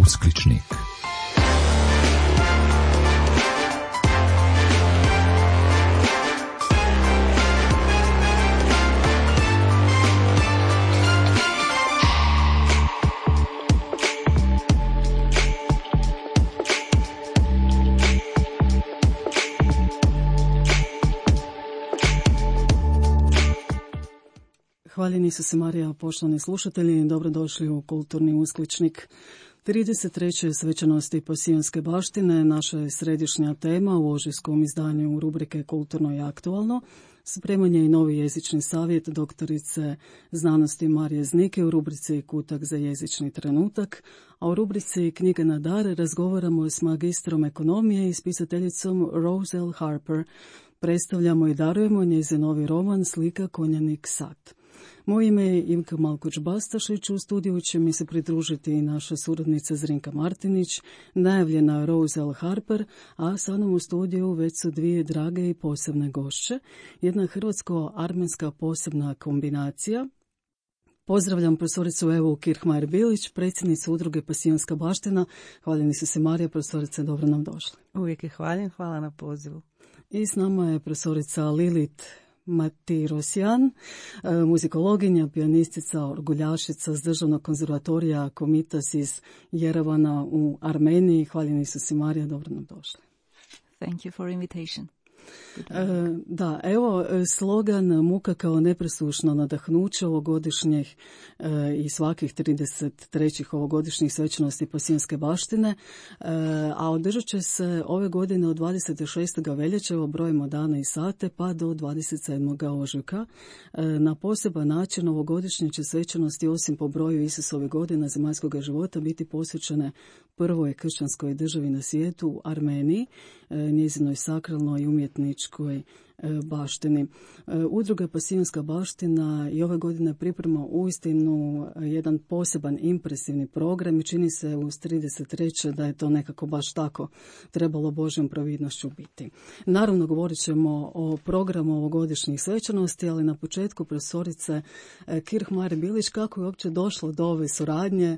Uskličnik. Hvaljeni su se Marija, poštovani slušatelji, dobrodošli u Kulturni uskličnik. 33. svečanosti Pasijonske baštine naša je središnja tema u ožujskom izdanju rubrike Kulturno i aktualno. Spreman je i novi jezični savjet doktorice znanosti Marije Znike u rubrici Kutak za jezični trenutak, a u rubrici Knjige na dar razgovaramo s magistrom ekonomije i spisateljicom Rose L. Harper. Predstavljamo i darujemo njezin novi roman Slika Konjanik Sat. Moje ime je Ivka Malkoć-Bastašić, u studiju će mi se pridružiti i naša suradnica Zrinka Martinić, najavljena Rose L. Harper, a sa mnom u studiju već su dvije drage i posebne gošće. Jedna hrvatsko-armenska posebna kombinacija. Pozdravljam profesoricu Evu Kirchmajer-Bilić, predsjednicu udruge Pasijonska baština. Hvaljeni su se Marija, profesorice, dobro nam došli. Uvijek je hvaljen, hvala na pozivu. I s nama je profesorica Lilit Matirosjan, muzikologinja, pijanistica, orguljašica s Državnog konzervatorija Komitas iz Jerevana u Armeniji. Hvaljeni su si Marija, dobro nam došli. Thank you for invitation. Da, evo slogan Muka kao nepresušno nadahnuće ovogodišnjih i svakih 33. ovogodišnjih svečanosti Pasijonske baštine, a održat će se ove godine od 26. veljače, brojimo dana i sate, pa do 27. ožujka. Na poseban način ovogodišnje će svečanosti, osim po broju Isusove godina zemaljskog života, biti posvećene prvoj kršćanskoj državi na svijetu, Armeniji, njezinoj sakralnoj i umjetničkoj baštini. Udruga Pasijonska baština i ove godine priprema uistinu jedan poseban impresivni program i čini se uz 33. da je to nekako baš tako trebalo Božjom providnošću biti. Naravno, govorit ćemo o programu ovogodišnjih svečanosti, ali na početku profesorice Kirchmajer-Bilić, kako je uopće došlo do ove suradnje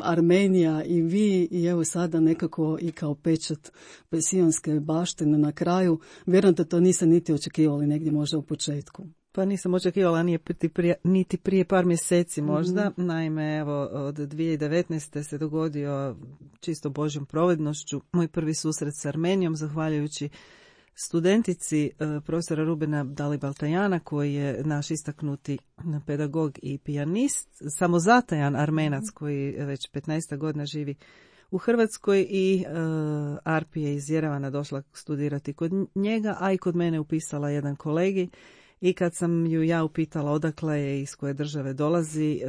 Armenija i vi, i evo sada nekako i kao pečat Pasijonske baštine na kraju. Vjerujem da to niste niti očekivali negdje možda u početku. Pa nisam očekivala niti prije par mjeseci možda. Naime, evo, od 2019. se dogodio čisto Božjom providnošću moj prvi susret s Armenijom, zahvaljujući studentici profesora Rubena Dalibaltajana, koji je naš istaknuti pedagog i pijanist, samozatajan Armenac koji već 15 godina živi u Hrvatskoj, i Arpi je iz Jerevana došla studirati kod njega, a i kod mene upisala jedan kolegi. I kad sam ju ja upitala odakle je, iz koje države dolazi,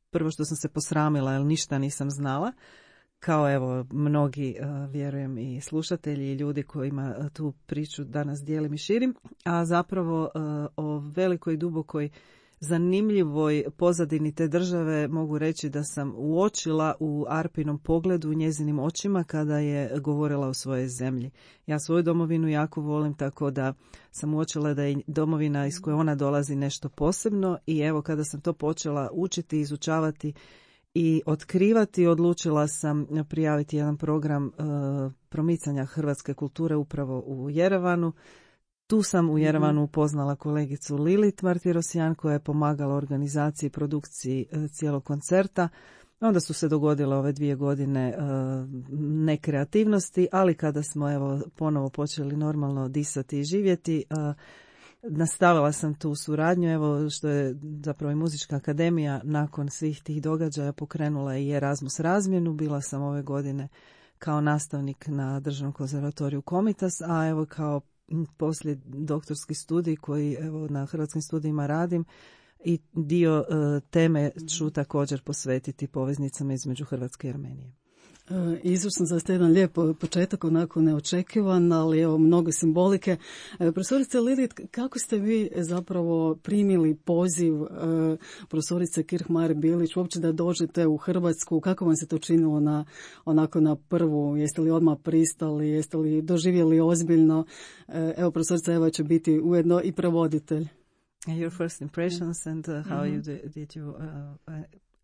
prvo što sam se posramila jer ništa nisam znala, kao evo mnogi, vjerujem, i slušatelji i ljudi kojima tu priču danas dijelim i širim, a zapravo o velikoj i dubokoj zanimljivoj pozadini te države mogu reći da sam uočila u Arpinom pogledu, u njezinim očima, kada je govorila o svojoj zemlji. Ja svoju domovinu jako volim, tako da sam uočila da je domovina iz koje ona dolazi nešto posebno, i evo kada sam to počela učiti, izučavati i otkrivati, odlučila sam prijaviti jedan program promicanja hrvatske kulture upravo u Jerevanu. Tu sam u Jerevanu upoznala kolegicu Lilit Matirosjan, koja je pomagala organizaciji i produkciji cijelog koncerta. Onda su se dogodile ove 2 godine nekreativnosti, ali kada smo evo ponovo počeli normalno disati i živjeti, nastavila sam tu suradnju, evo što je zapravo i Muzička akademija nakon svih tih događaja pokrenula i Erasmus razmjenu. Bila sam ove godine kao nastavnik na Državnom konzervatoriju Komitas, a evo kao poslije doktorski studij koji evo na Hrvatskim studijima radim, i dio teme ću također posvetiti poveznicama između Hrvatske i Armenije. Izvrsno, zaista jedan lijep početak, onako neočekivan, ali evo mnogo simbolike. Profesorice Lilit, kako ste vi zapravo primili poziv profesorice Kirchmajer-Bilić uopće da dođete u Hrvatsku? Kako vam se to činilo onako na prvu? Jeste li odmah pristali? Jeste li doživjeli ozbiljno? Evo, profesorica Eva će biti ujedno i prevoditelj. Your first impressions and how you did you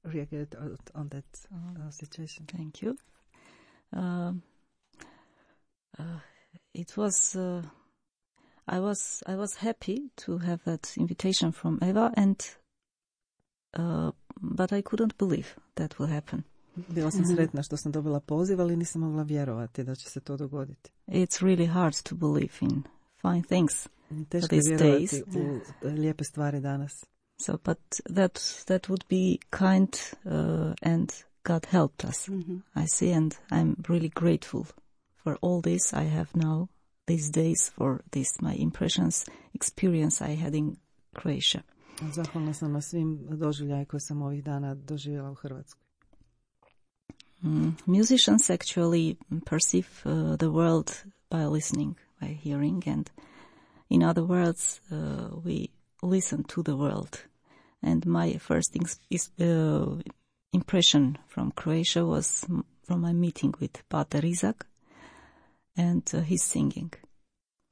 react on that situation? Thank you. It was. I was happy to have that invitation from Eva, but I couldn't believe that will happen. Bila sam sretna što sam dobila poziv, ali nisam mogla vjerovati da će se to dogoditi. It's really hard to believe in fine things Teško je these vjerovati days. u lijepe stvari danas. So, but that would be kind, and God helped us. I see, and I'm really grateful for all this I have now these days, for this my impressions, experience I had in Croatia. Zahvalna sam na svim doživljaje koje sam ovih dana doživjela u Hrvatskoj. Musicians actually perceive the world by listening, by hearing, and in other words, we listen to the world. And my first impression from Croatia was from my meeting with Pater Izak and his singing,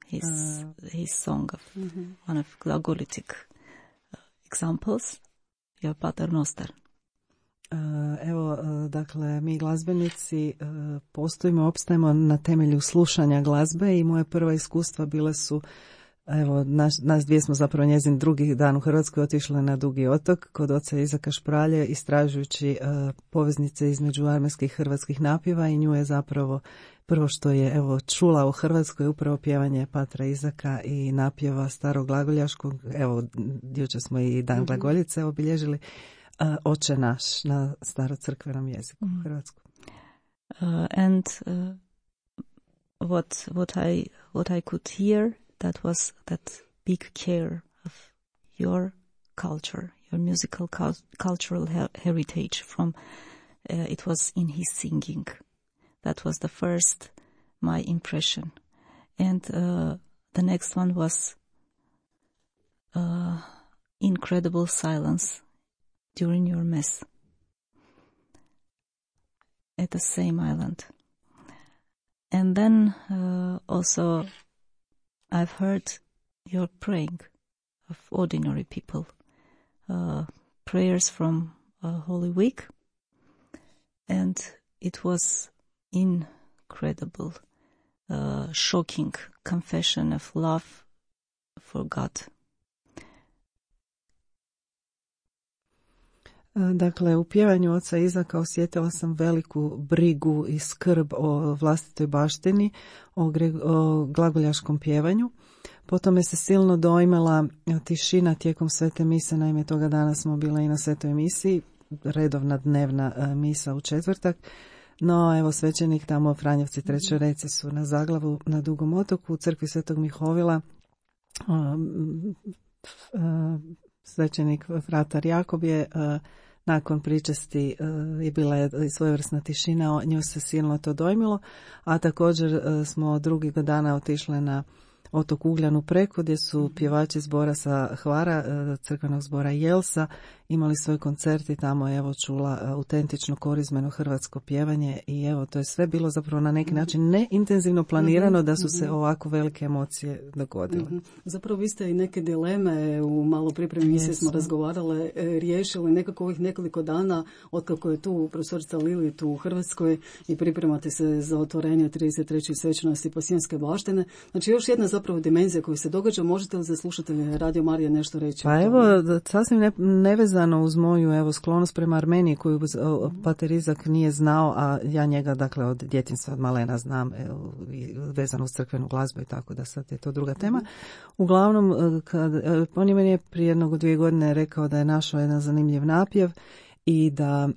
his song of one of glagolitic examples, your Pater Noster. Evo, dakle, mi glazbenici postojimo, opstajemo na temelju slušanja glazbe i moje prva iskustva bile su, evo, nas dvije smo zapravo njezin drugi dan u Hrvatskoj otišle na Dugi otok kod oca Izaka Špralje, istražujući poveznice između armenskih i hrvatskih napjeva, i nju je zapravo prvo što je, evo, čula u Hrvatskoj upravo pjevanje Patra Izaka i napjeva starog glagoljaškog. Evo, jučer smo i dan glagoljice obilježili. Oče naš na starocrkvenom jeziku u Hrvatsku. And what I could hear, that was that big care of your culture, your musical cultural heritage from it was in his singing. That was the first my impression. And the next one was incredible silence during your mass at the same island. And then also I've heard your praying of ordinary people, prayers from Holy Week, and it was incredible, shocking confession of love for God. Dakle, u pjevanju oca Izaka osjetila sam veliku brigu i skrb o vlastitoj baštini, o glagoljaškom pjevanju. Potom je se silno dojmila tišina tijekom svete mise, naime toga dana smo bila i na svetoj misiji, redovna dnevna misa u četvrtak. No, evo, svećenik tamo, Franjevci Trećoreci su na Zaglavu na Dugom otoku u crkvi Svetog Mihovila. Svećenik fratar Jakob je nakon pričesti je bila svojevrsna tišina, nju se silno to dojmilo, a također smo drugog dana otišli na otok Ugljan u Preku, gdje su pjevači zbora sa Hvara, crkvenog zbora Jelsa, imali svoj koncert i tamo je, evo, čula autentično korizmeno hrvatsko pjevanje i evo, to je sve bilo zapravo na neki način neintenzivno planirano da su se ovako velike emocije dogodile. Zapravo vi ste i neke dileme u malo pripremi misije smo razgovarale, riješili nekako ovih nekoliko dana otkako je tu profesorica Lili tu u Hrvatskoj i pripremate se za otvorenje 33. svečanosti Pasijanske baštine. Znači još jedna zapravo dimenzija koja se događa. Možete li za slušatelje Radio Marije nešto reći? Pa evo, sasvim nevezano uz moju, evo, sklonost prema Armeniji koju Pater Izak nije znao, a ja njega, dakle, od djetinjstva, od malena znam, vezano uz crkvenu glazbu i tako, da sad je to druga tema. Uglavnom, on je meni prije 1-2 godine rekao da je našao jedan zanimljiv napjev i da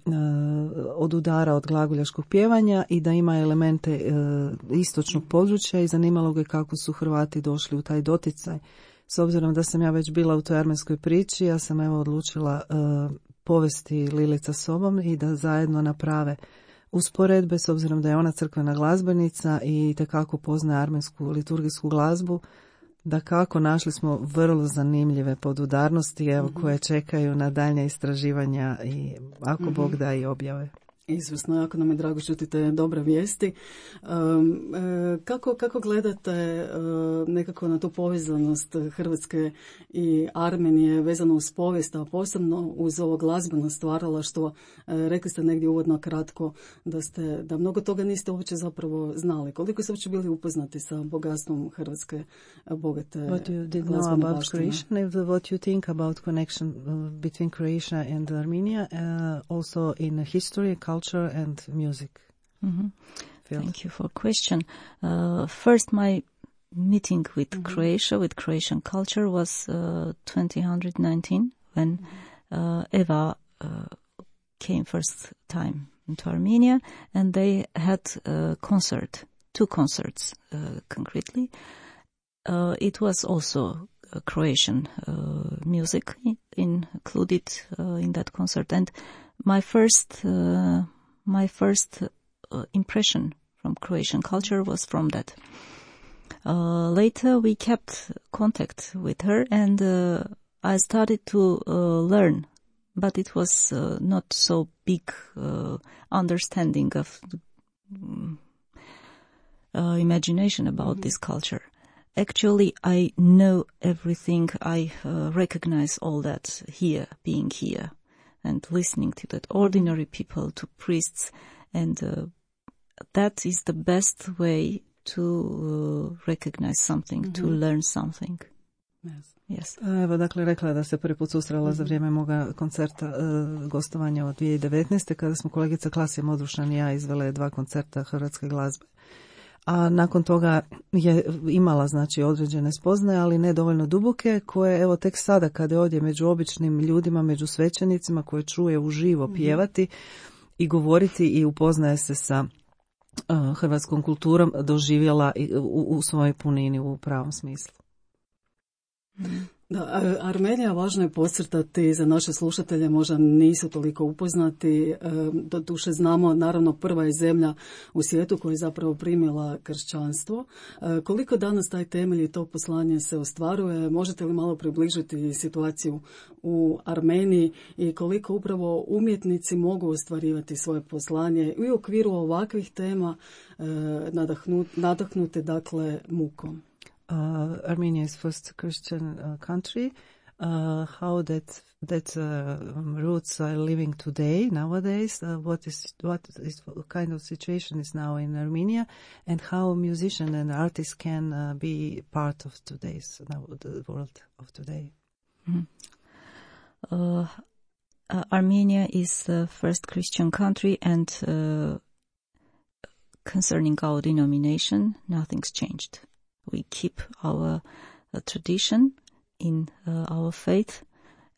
odudara od glagoljaškog pjevanja i da ima elemente istočnog područja i zanimalo ga kako su Hrvati došli u taj doticaj. S obzirom da sam ja već bila u toj armenskoj priči, ja sam, evo, odlučila povesti Lilica sobom i da zajedno naprave usporedbe, s obzirom da je ona crkvena glazbenica i itekako poznaje armensku liturgijsku glazbu. Da kako našli smo vrlo zanimljive podudarnosti, evo, koje čekaju na daljnja istraživanja i ako Bog da i objave. Izvrsno, jako nam je drago čuti te dobre vijesti. Kako gledate nekako na tu povezanost Hrvatske i Armenije vezano uz povijest, a posebno uz ovo glazbeno stvaralaštvo? Rekli ste negdje uvodno kratko da mnogo toga niste uopće zapravo znali. Koliko ste uopće bili upoznati sa bogatstvom Hrvatske bogate glazbene baštine? What you think about connection between Croatia and Armenia, also in history, culture and music. Mm-hmm. Thank you for question. First, my meeting with Croatia, with Croatian culture, was 2019 when Eva came first time into Armenia, and they had a concert, 2 concerts concretely. It was also Croatian music included in that concert, and my first impression from Croatian culture was from that. Later we kept contact with her, and I started to learn, but it was not so big understanding of imagination about this culture. Actually, I know everything. I recognize all that here, being here, and listening to that ordinary people, to priests, and that is the best way to recognize something, to learn something. Yes. Evo, dakle, rekla da se prvi put susrela za vrijeme moga koncerta gostovanja od 2019. kada smo kolegica Klasija Modrušan i ja izvele 2 koncerta hrvatske glazbe. A nakon toga je imala, znači, određene spoznaje, ali ne dovoljno duboke, koje evo tek sada kada je ovdje među običnim ljudima, među svećenicima, koje čuje uživo pjevati i govoriti i upoznaje se sa hrvatskom kulturom, doživjela u svojoj punini, u pravom smislu. Da, Armenija, važno je podcrtati, za naše slušatelje možda nisu toliko upoznati, doduše znamo, naravno prva je zemlja u svijetu koja je zapravo primila kršćanstvo. Koliko danas taj temelj i to poslanje se ostvaruje? Možete li malo približiti situaciju u Armeniji i koliko upravo umjetnici mogu ostvarivati svoje poslanje i u okviru ovakvih tema nadahnute, dakle, mukom? Armenia is first Christian country. How that roots are living today, nowadays? What kind of situation is now in Armenia, and how musician and artists can be part of the world of today? Armenia is the first Christian country, and concerning our denomination, nothing's changed. We keep our tradition in our faith,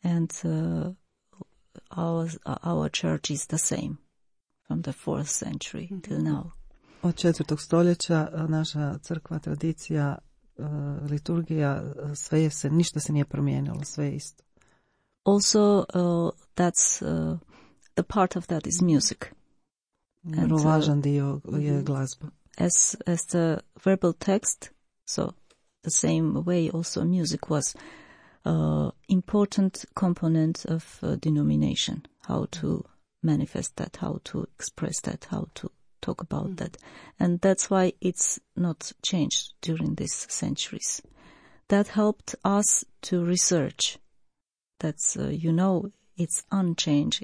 and our church is the same from the 4th century till now. Od 4. stoljeća naša crkva, tradicija, liturgija, ništa se nije promijenilo, sve je isto. Also, that's the part of that is music. Vrlo važan dio je glazba. As the verbal text, so the same way also music was important component of denomination, how to manifest that, how to express that, how to talk about that. And that's why it's not changed during these centuries. That helped us to research. That's, it's unchanged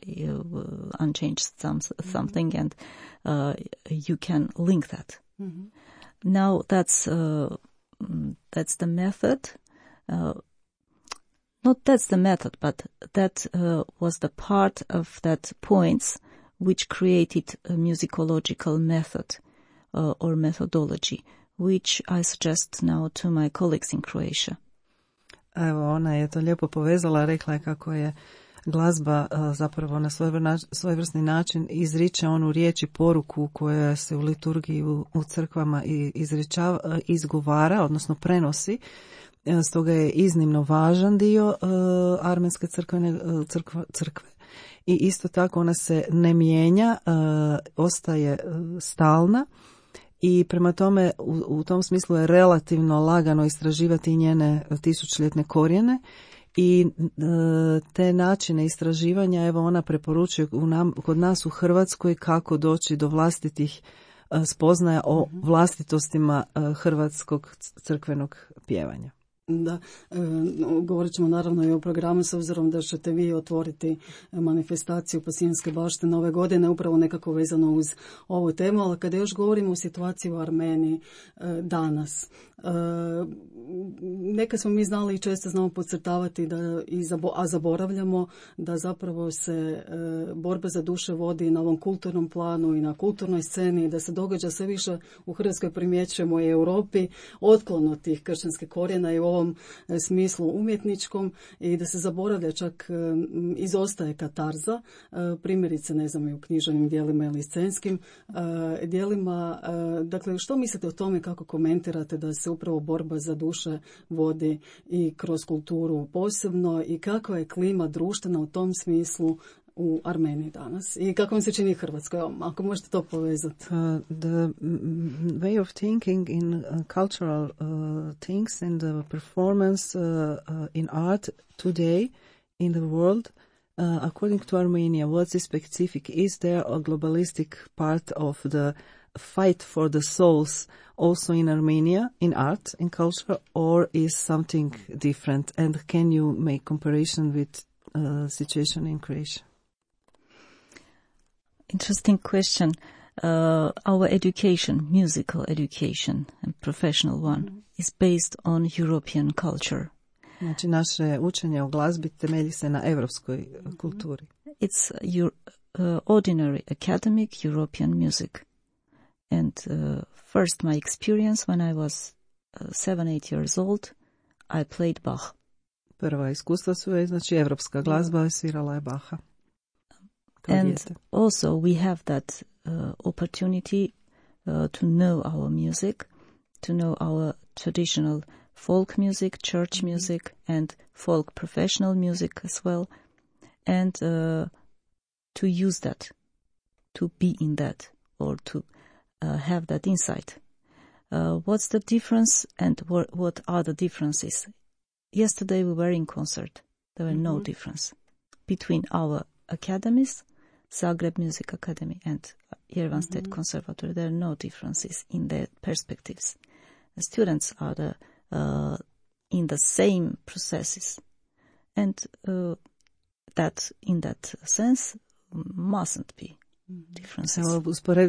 something, and you can link that. Now that's the method. Not that's the method, but that was the part of that points which created a musicological method or methodology, which I suggest now to my colleagues in Croatia. Evo, ona je to lijepo povezala, rekla je kako je glazba zapravo na svojevrsni način izriče onu riječ i poruku koja se u liturgiji u crkvama izgovara, odnosno prenosi. Stoga je iznimno važan dio armenske crkve. I isto tako ona se ne mijenja, ostaje stalna. I prema tome u tom smislu je relativno lagano istraživati njene tisućljetne korijene i te načine istraživanja, evo ona preporučuje kod nas u Hrvatskoj kako doći do vlastitih spoznaja o vlastitostima hrvatskog crkvenog pjevanja. Da, govorit ćemo naravno i o programu s obzirom da ćete vi otvoriti manifestaciju Pasijanske baštine ove godine, upravo nekako vezano uz ovu temu, ali kada još govorimo o situaciji u Armeniji danas, neka smo mi znali i često znamo podcrtavati a zaboravljamo da zapravo se borba za duše vodi na ovom kulturnom planu i na kulturnoj sceni, da se događa sve više u Hrvatskoj, primjećujemo i Europi otklon od tih kršćanskih korijena i u ovom smislu umjetničkom, i da se zaboravlja, čak izostaje katarza, primjerice ne znam i u književnim djelima ili scenskim djelima. Dakle, što mislite o tome, kako komentirate da se upravo borba za duše vodi i kroz kulturu posebno, i kakva je klima društvena u tom smislu u Armeniji danas i kako vam se čini Hrvatskoj, ako možete to povezati? The way of thinking in cultural things and the performance in art today in the world, according to Armenia, what's the specific? Is there a globalistic part of the fight for the souls also in Armenia, in art, in culture, or is something different? And can you make comparison with situation in Croatia? Interesting question. Our education, musical education and professional one, is based on European culture. Znači, naše učenje o glazbi temelji se na evropskoj kulturi. It's ordinary academic European music. And first my experience when I was 7-8 years old, I played Bach. Prva iskustva su je, znači, evropska glazba, svirala je Baha. And also we have that opportunity to know our music, to know our traditional folk music, church music, and folk professional music as well, and to use that, to be in that, or to have that insight. What's the difference, and what are the differences? Yesterday we were in concert. There were no difference between our academies, Zagreb Music Academy and Yerevan State Conservatory. There are no differences in their perspectives. The students are in the same processes, and that in that sense mustn't be differences.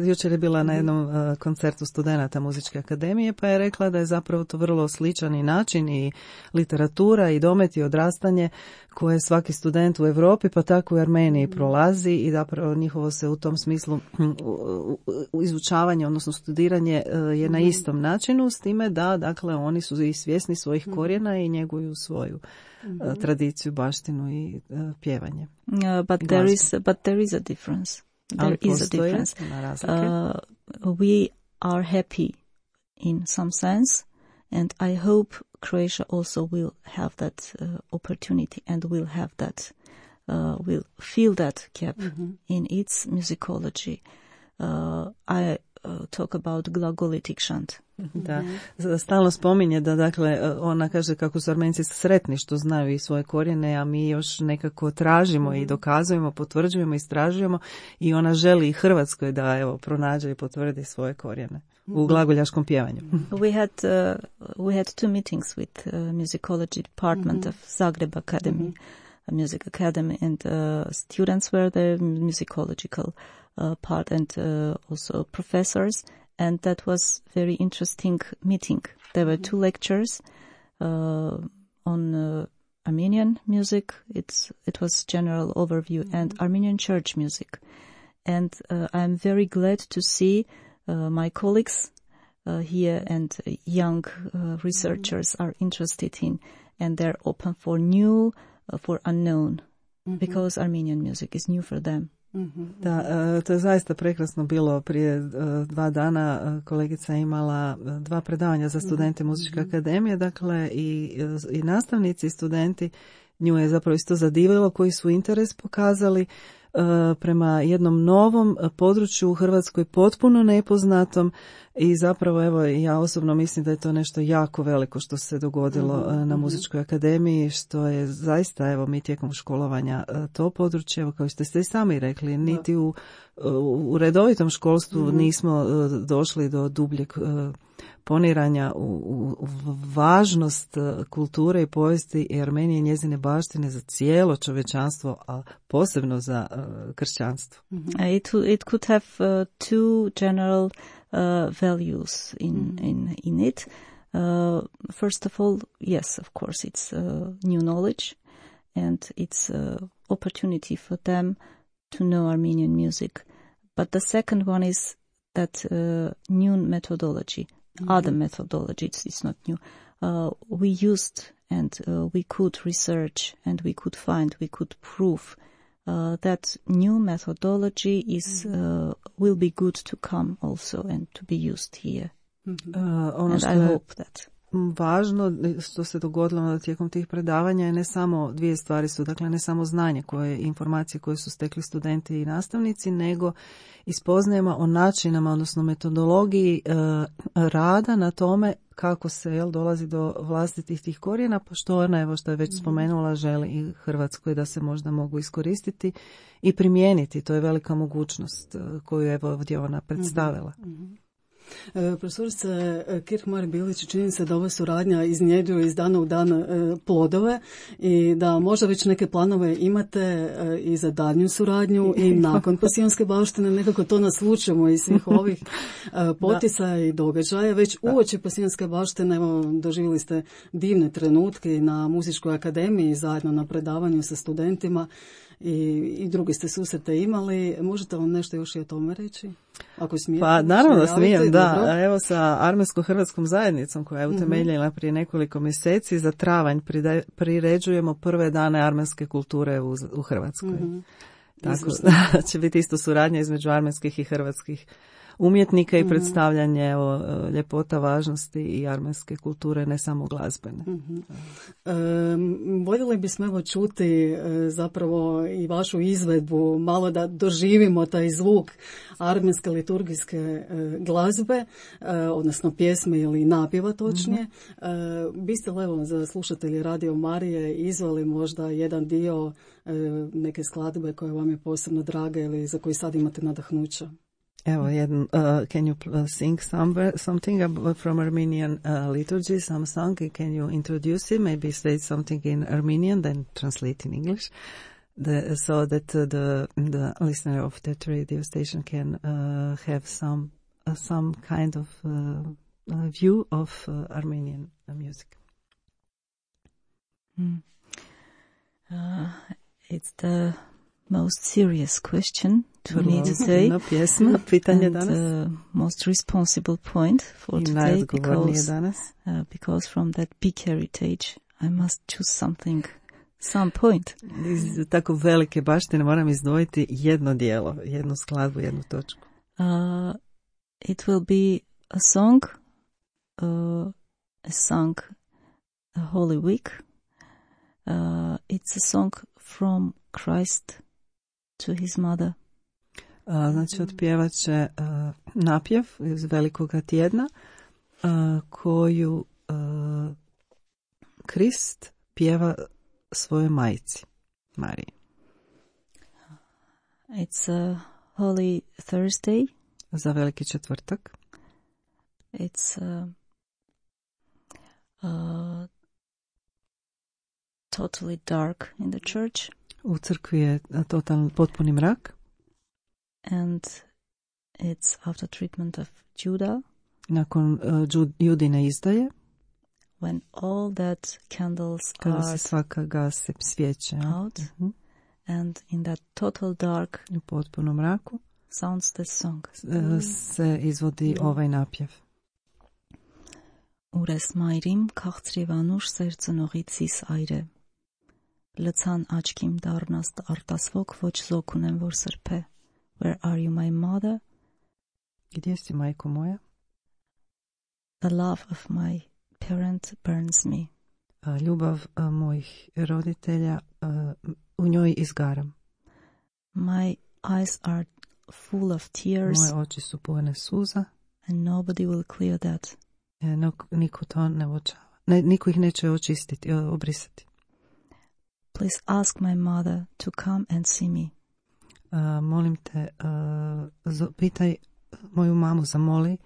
Jučer je bila na jednom koncertu studenata Muzičke akademije, pa je rekla da je zapravo to vrlo sličan i način i literatura i domet i odrastanje koje svaki student u Europi pa tako i u Armeniji prolazi, i zapravo njihovo se u tom smislu izučavanje, odnosno studiranje je na istom načinu, s time da, dakle, oni su i svjesni svojih korijena i njeguju svoju tradiciju, baštinu i pjevanje. But there is a difference. There is a difference. We are happy in some sense, and I hope Croatia also will have that opportunity and will have that, will fill that gap in its musicology. I talk about glagolitic chant. Da, stalno spominje da, dakle, ona kaže kako su Armenci sretni što znaju i svoje korijene, a mi još nekako tražimo i dokazujemo, potvrđujemo, istražujemo, i ona želi i Hrvatskoj da, evo, pronađe i potvrdi svoje korijene u glagoljaškom pjevanju. We had two meetings with musicology department of Zagreb Academy, Music Academy, and students were the musicological part, and also professors, and that was very interesting meeting. There were two lectures on Armenian music. It was general overview, and Armenian church music. And I'm very glad to see my colleagues here and young researchers are interested in, and they're open for new, for unknown, because Armenian music is new for them. Da, to je zaista prekrasno bilo. Prije 2 dana kolegica je imala 2 predavanja za studente Muzičke akademije, dakle i nastavnici i studenti. Nju je zapravo isto zadivilo koji su interes pokazali. prema jednom novom području u Hrvatskoj potpuno nepoznatom i zapravo evo ja osobno mislim da je to nešto jako veliko što se dogodilo na Muzičkoj akademiji, što je zaista evo mi tijekom školovanja to područje, evo kao što ste i sami rekli, niti u redovitom školstvu nismo došli do dubljeg poniranja u važnost kulture i povijesti i Armenije i njezine baštine za cijelo čovječanstvo, a posebno za kršćanstvo. It could have two general values in it. First of all, yes, of course, it's new knowledge and it's opportunity for them to know Armenian music. But the second one is that new methodology. Other methodology, it's not new. We used and we could research and we could find, we could prove that new methodology is will be good to come also and to be used here. And I hope that. Važno što se dogodilo tijekom tih predavanja je ne samo dvije stvari su, dakle ne samo znanje informacije koje su stekli studenti i nastavnici, nego i spoznajemo o načinama, odnosno metodologiji rada na tome kako se dolazi do vlastitih tih korijena, pa što ona, evo što je već spomenula, želi i Hrvatskoj da se možda mogu iskoristiti i primijeniti. To je velika mogućnost koju je ovdje ona predstavila. Profesorica Kirchmar-Bilić, čini se da ova suradnja iznjedruje iz dana u dan plodove i da možda već neke planove imate i za daljnju suradnju i nakon Pasijonske baštine, nekako to naslučujemo iz svih ovih poticaja i događaja. Već uoči Pasijonske baštine doživjeli ste divne trenutke na Muzičkoj akademiji zajedno na predavanju sa studentima i drugi ste susrete imali. Možete vam nešto još i o tome reći? Ako smijete. Pa naravno da smijem, da. Evo sa Armensko-hrvatskom zajednicom koja je utemeljena prije nekoliko mjeseci za travanj priređujemo prve dane armenske kulture u Hrvatskoj. Tako da će biti isto suradnja između armenskih i hrvatskih umjetnika i predstavljanje ljepota, važnosti i armenske kulture, ne samo glazbene. Voljeli bismo čuti zapravo i vašu izvedbu, malo da doživimo taj zvuk armenske liturgijske glazbe, odnosno pjesme ili napjeva točnije. Biste li evo za slušatelji Radio Marije izveli možda jedan dio neke skladbe koja vam je posebno draga ili za koju sad imate nadahnuća? Evo, can you sing something from Armenian liturgy, some song? Can you introduce it? Maybe say something in Armenian, then translate in English, so that the listener of that radio station can have some kind of view of Armenian music. It's the most serious question to me today, and most responsible point for today, because from that big heritage I must choose some point. Iz tako velike baštine moram izdvojiti jedno dijelo, jednu skladbu, jednu točku. It will be a song, a Holy Week. It's a song from Christ to his mother. Znači otpjevat će napjev iz Velikoga tjedna koju Krist pjeva svojoj majci Mariji. It's a Holy Thursday. Za Veliki četvrtak. It's totally dark in the church. U crkvi je potpuni mrak. And it's after treatment of Judah. Nakon Judine izdaje. When all that candles kada se svaka gase svijeće out, and in that total dark, u potpunom mraku, sounds the song. Se izvodi ovaj napjev. Ուրես մայրիմ քաղցրիվանուշ սերծնողից իս այրե լցան աչքիմ դառնաս արտասվոք ոչ զոք ունեմ որ սրբե. Where are you, my mother? Где си, майко моя? The love of my parent burns me. Ljubav mojih roditelja, u njoj izgaram. My eyes are full of tears. Moje oči su pune suza. And nobody will clear that. Niko to ne uočava. Niko ih neće očistiti, obrisati. Please ask my mother to come and see me. Molim te, pitaj moju mamu, zamoli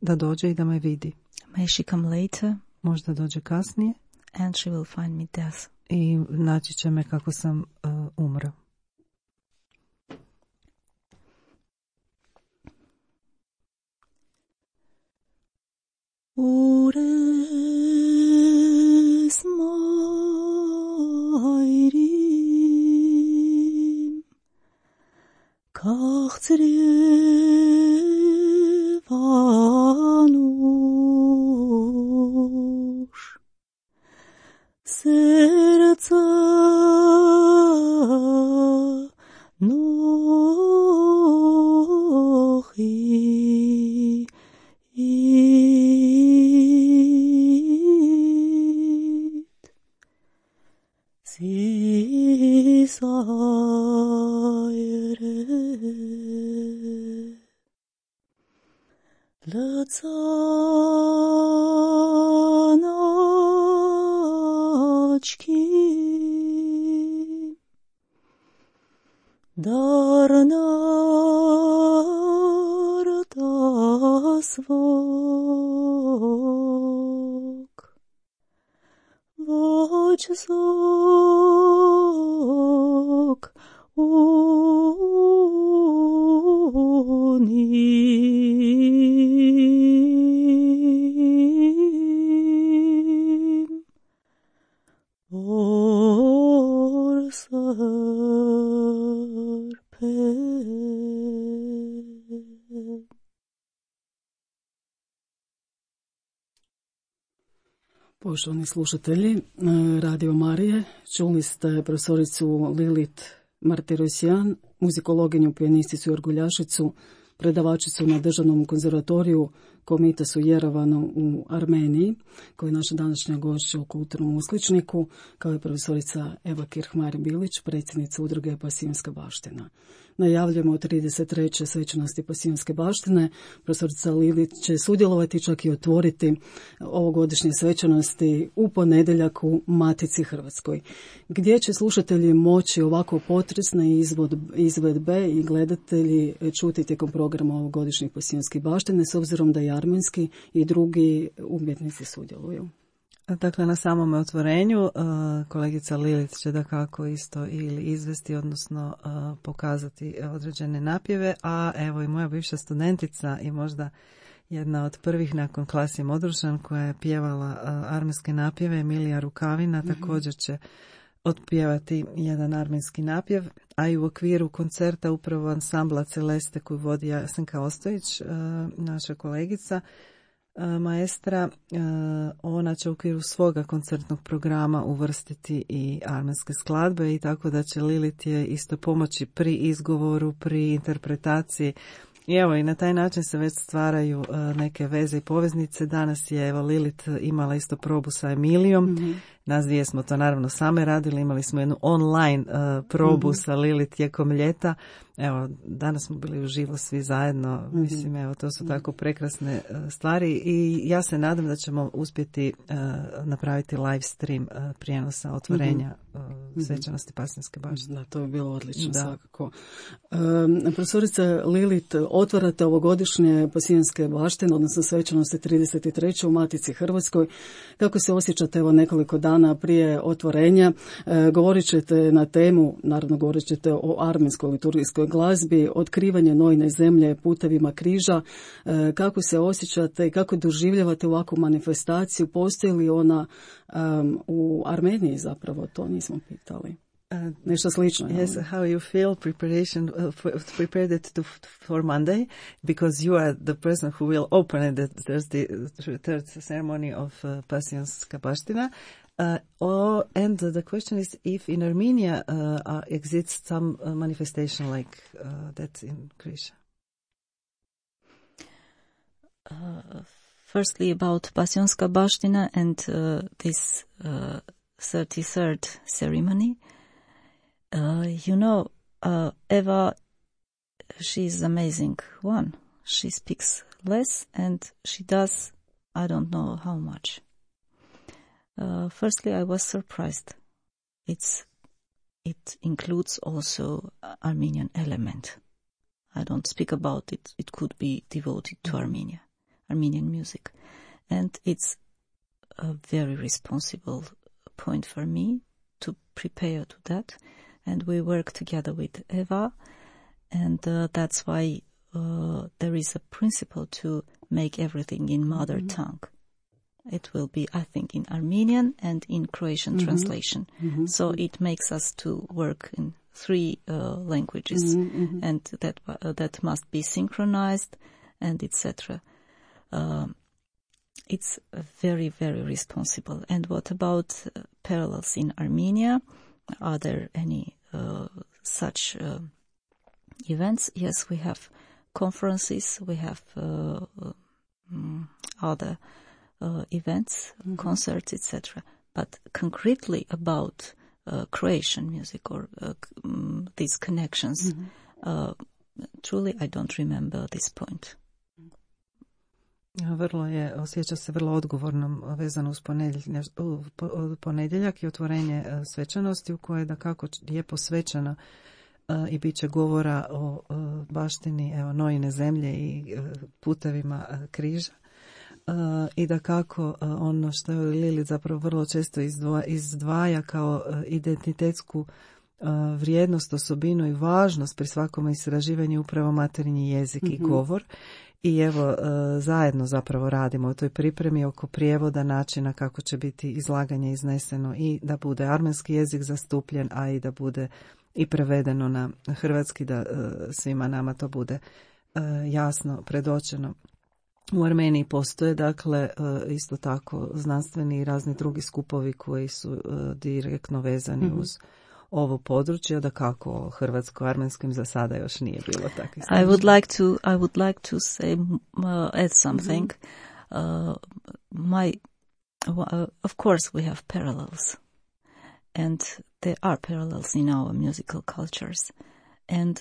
da dođe i da me vidi. May she come later? Možda dođe kasnije. And she will find me death. I naći će me kako sam umro. Ures mayrim kahtrivanush serca nohi Lățanaci dar n-ar svog voci zog unim or sarpe. Poštovani slušatelji Radio Marije, čuli ste profesoricu Lilit Martirosyan, muzikologinju, pijanisticu i orguljašicu, predavačicu na Državnom konzervatoriju Komitasu Jerevanu u Armeniji, koja je naša današnja gošća u Kulturnom uskličniku, kao i profesorica Eva Kirhmari-Bilić, predsjednica udruge Pasijonska baština. Najavljujemo 33. svečanosti Pasijonske baštine. Profesorica Lilit će sudjelovati, čak i otvoriti ovogodišnje svečanosti u ponedjeljak u Matici Hrvatskoj, gdje će slušatelji moći ovako potresne izvedbe i gledatelji čuti tijekom programa ovogodišnjih Pasijonskih baštine, s obzirom da i armenski i drugi umjetnici sudjeluju. Dakle, na samome otvorenju kolegica Lilit će dakako isto ili izvesti, odnosno pokazati određene napjeve, a evo i moja bivša studentica i možda jedna od prvih nakon Klasje Modrušan koja je pjevala armenske napjeve, Emilija Rukavina, također će otpjevati jedan armenski napjev, a i u okviru koncerta upravo ansambla Celeste koju vodi Jasenka Ostojić, naša kolegica, maestra, ona će u okviru svoga koncertnog programa uvrstiti i armenske skladbe i tako da će Lilit je isto pomoći pri izgovoru, pri interpretaciji. I evo i na taj način se već stvaraju neke veze i poveznice. Danas je evo Lilit imala isto probu sa Emilijom. Nas dvije smo to naravno same radili, imali smo jednu online probu sa Lilit tijekom ljeta. Evo, danas smo bili uživo svi zajedno. Mislim, evo, to su tako prekrasne stvari i ja se nadam da ćemo uspjeti napraviti live stream prijenosa otvorenja svečanosti Pasijonske baštine. Da, to je bilo odlično, svakako. Profesorica Lilit, otvarate ovogodišnje Pasijonske baštine, odnosno svečanosti 33. u Matici Hrvatskoj. Kako se osjećate evo nekoliko dana prije otvorenja? Govorit ćete na temu, naravno govorit ćete o armenskoj liturgijskoj glazbi, otkrivanje nojne zemlje putevima križa. Kako se osjećate i kako doživljavate ovakvu manifestaciju? Postoji li ona u Armeniji zapravo? To nismo pitali. Nešto slično. Yes, how you feel prepared it for Monday, because you are the person who will open the third ceremony of Pasijonska baština. And the question is if in Armenia exists some manifestation like that in Krisha. Firstly, about Pasijonska baština and this 33rd ceremony. You know, Eva, she's amazing one. She speaks less and she does, I don't know how much. Firstly, I was surprised. It includes also Armenian element. I don't speak about it. It could be devoted to Armenian music. And it's a very responsible point for me to prepare to that. And we work together with Eva. And that's why there is a principle to make everything in mother tongue. It will be, I think, in Armenian and in Croatian translation. So it makes us to work in 3 languages, and that must be synchronized, and etc. It's very, very responsible. And what about parallels in Armenia? Are there any such events? Yes, we have conferences, we have other events, concerts, etc. But concretely about Croatian music or these connections, truly I don't remember this point. Osjeća se vrlo odgovornom vezano uz ponedjeljak i otvorenje svečanosti u kojoj da kako je posvećena i bit će govora o baštini Nojine zemlje i putevima križa. I da kako ono što je Lili zapravo vrlo često izdvaja kao identitetsku vrijednost, osobinu i važnost pri svakom istraživanju upravo materinji jezik i govor. I evo, zajedno zapravo radimo u toj pripremi oko prijevoda načina kako će biti izlaganje izneseno i da bude armenski jezik zastupljen, a i da bude i prevedeno na hrvatski, da svima nama to bude jasno predočeno. U Armeniji postoje, dakle, isto tako znanstveni i razni drugi skupovi koji su direktno vezani uz ovo područje, da kako hrvatsko-armenskim za sada još nije bilo takvih. I would like to say add something. Of course we have parallels, and there are parallels in our musical cultures. And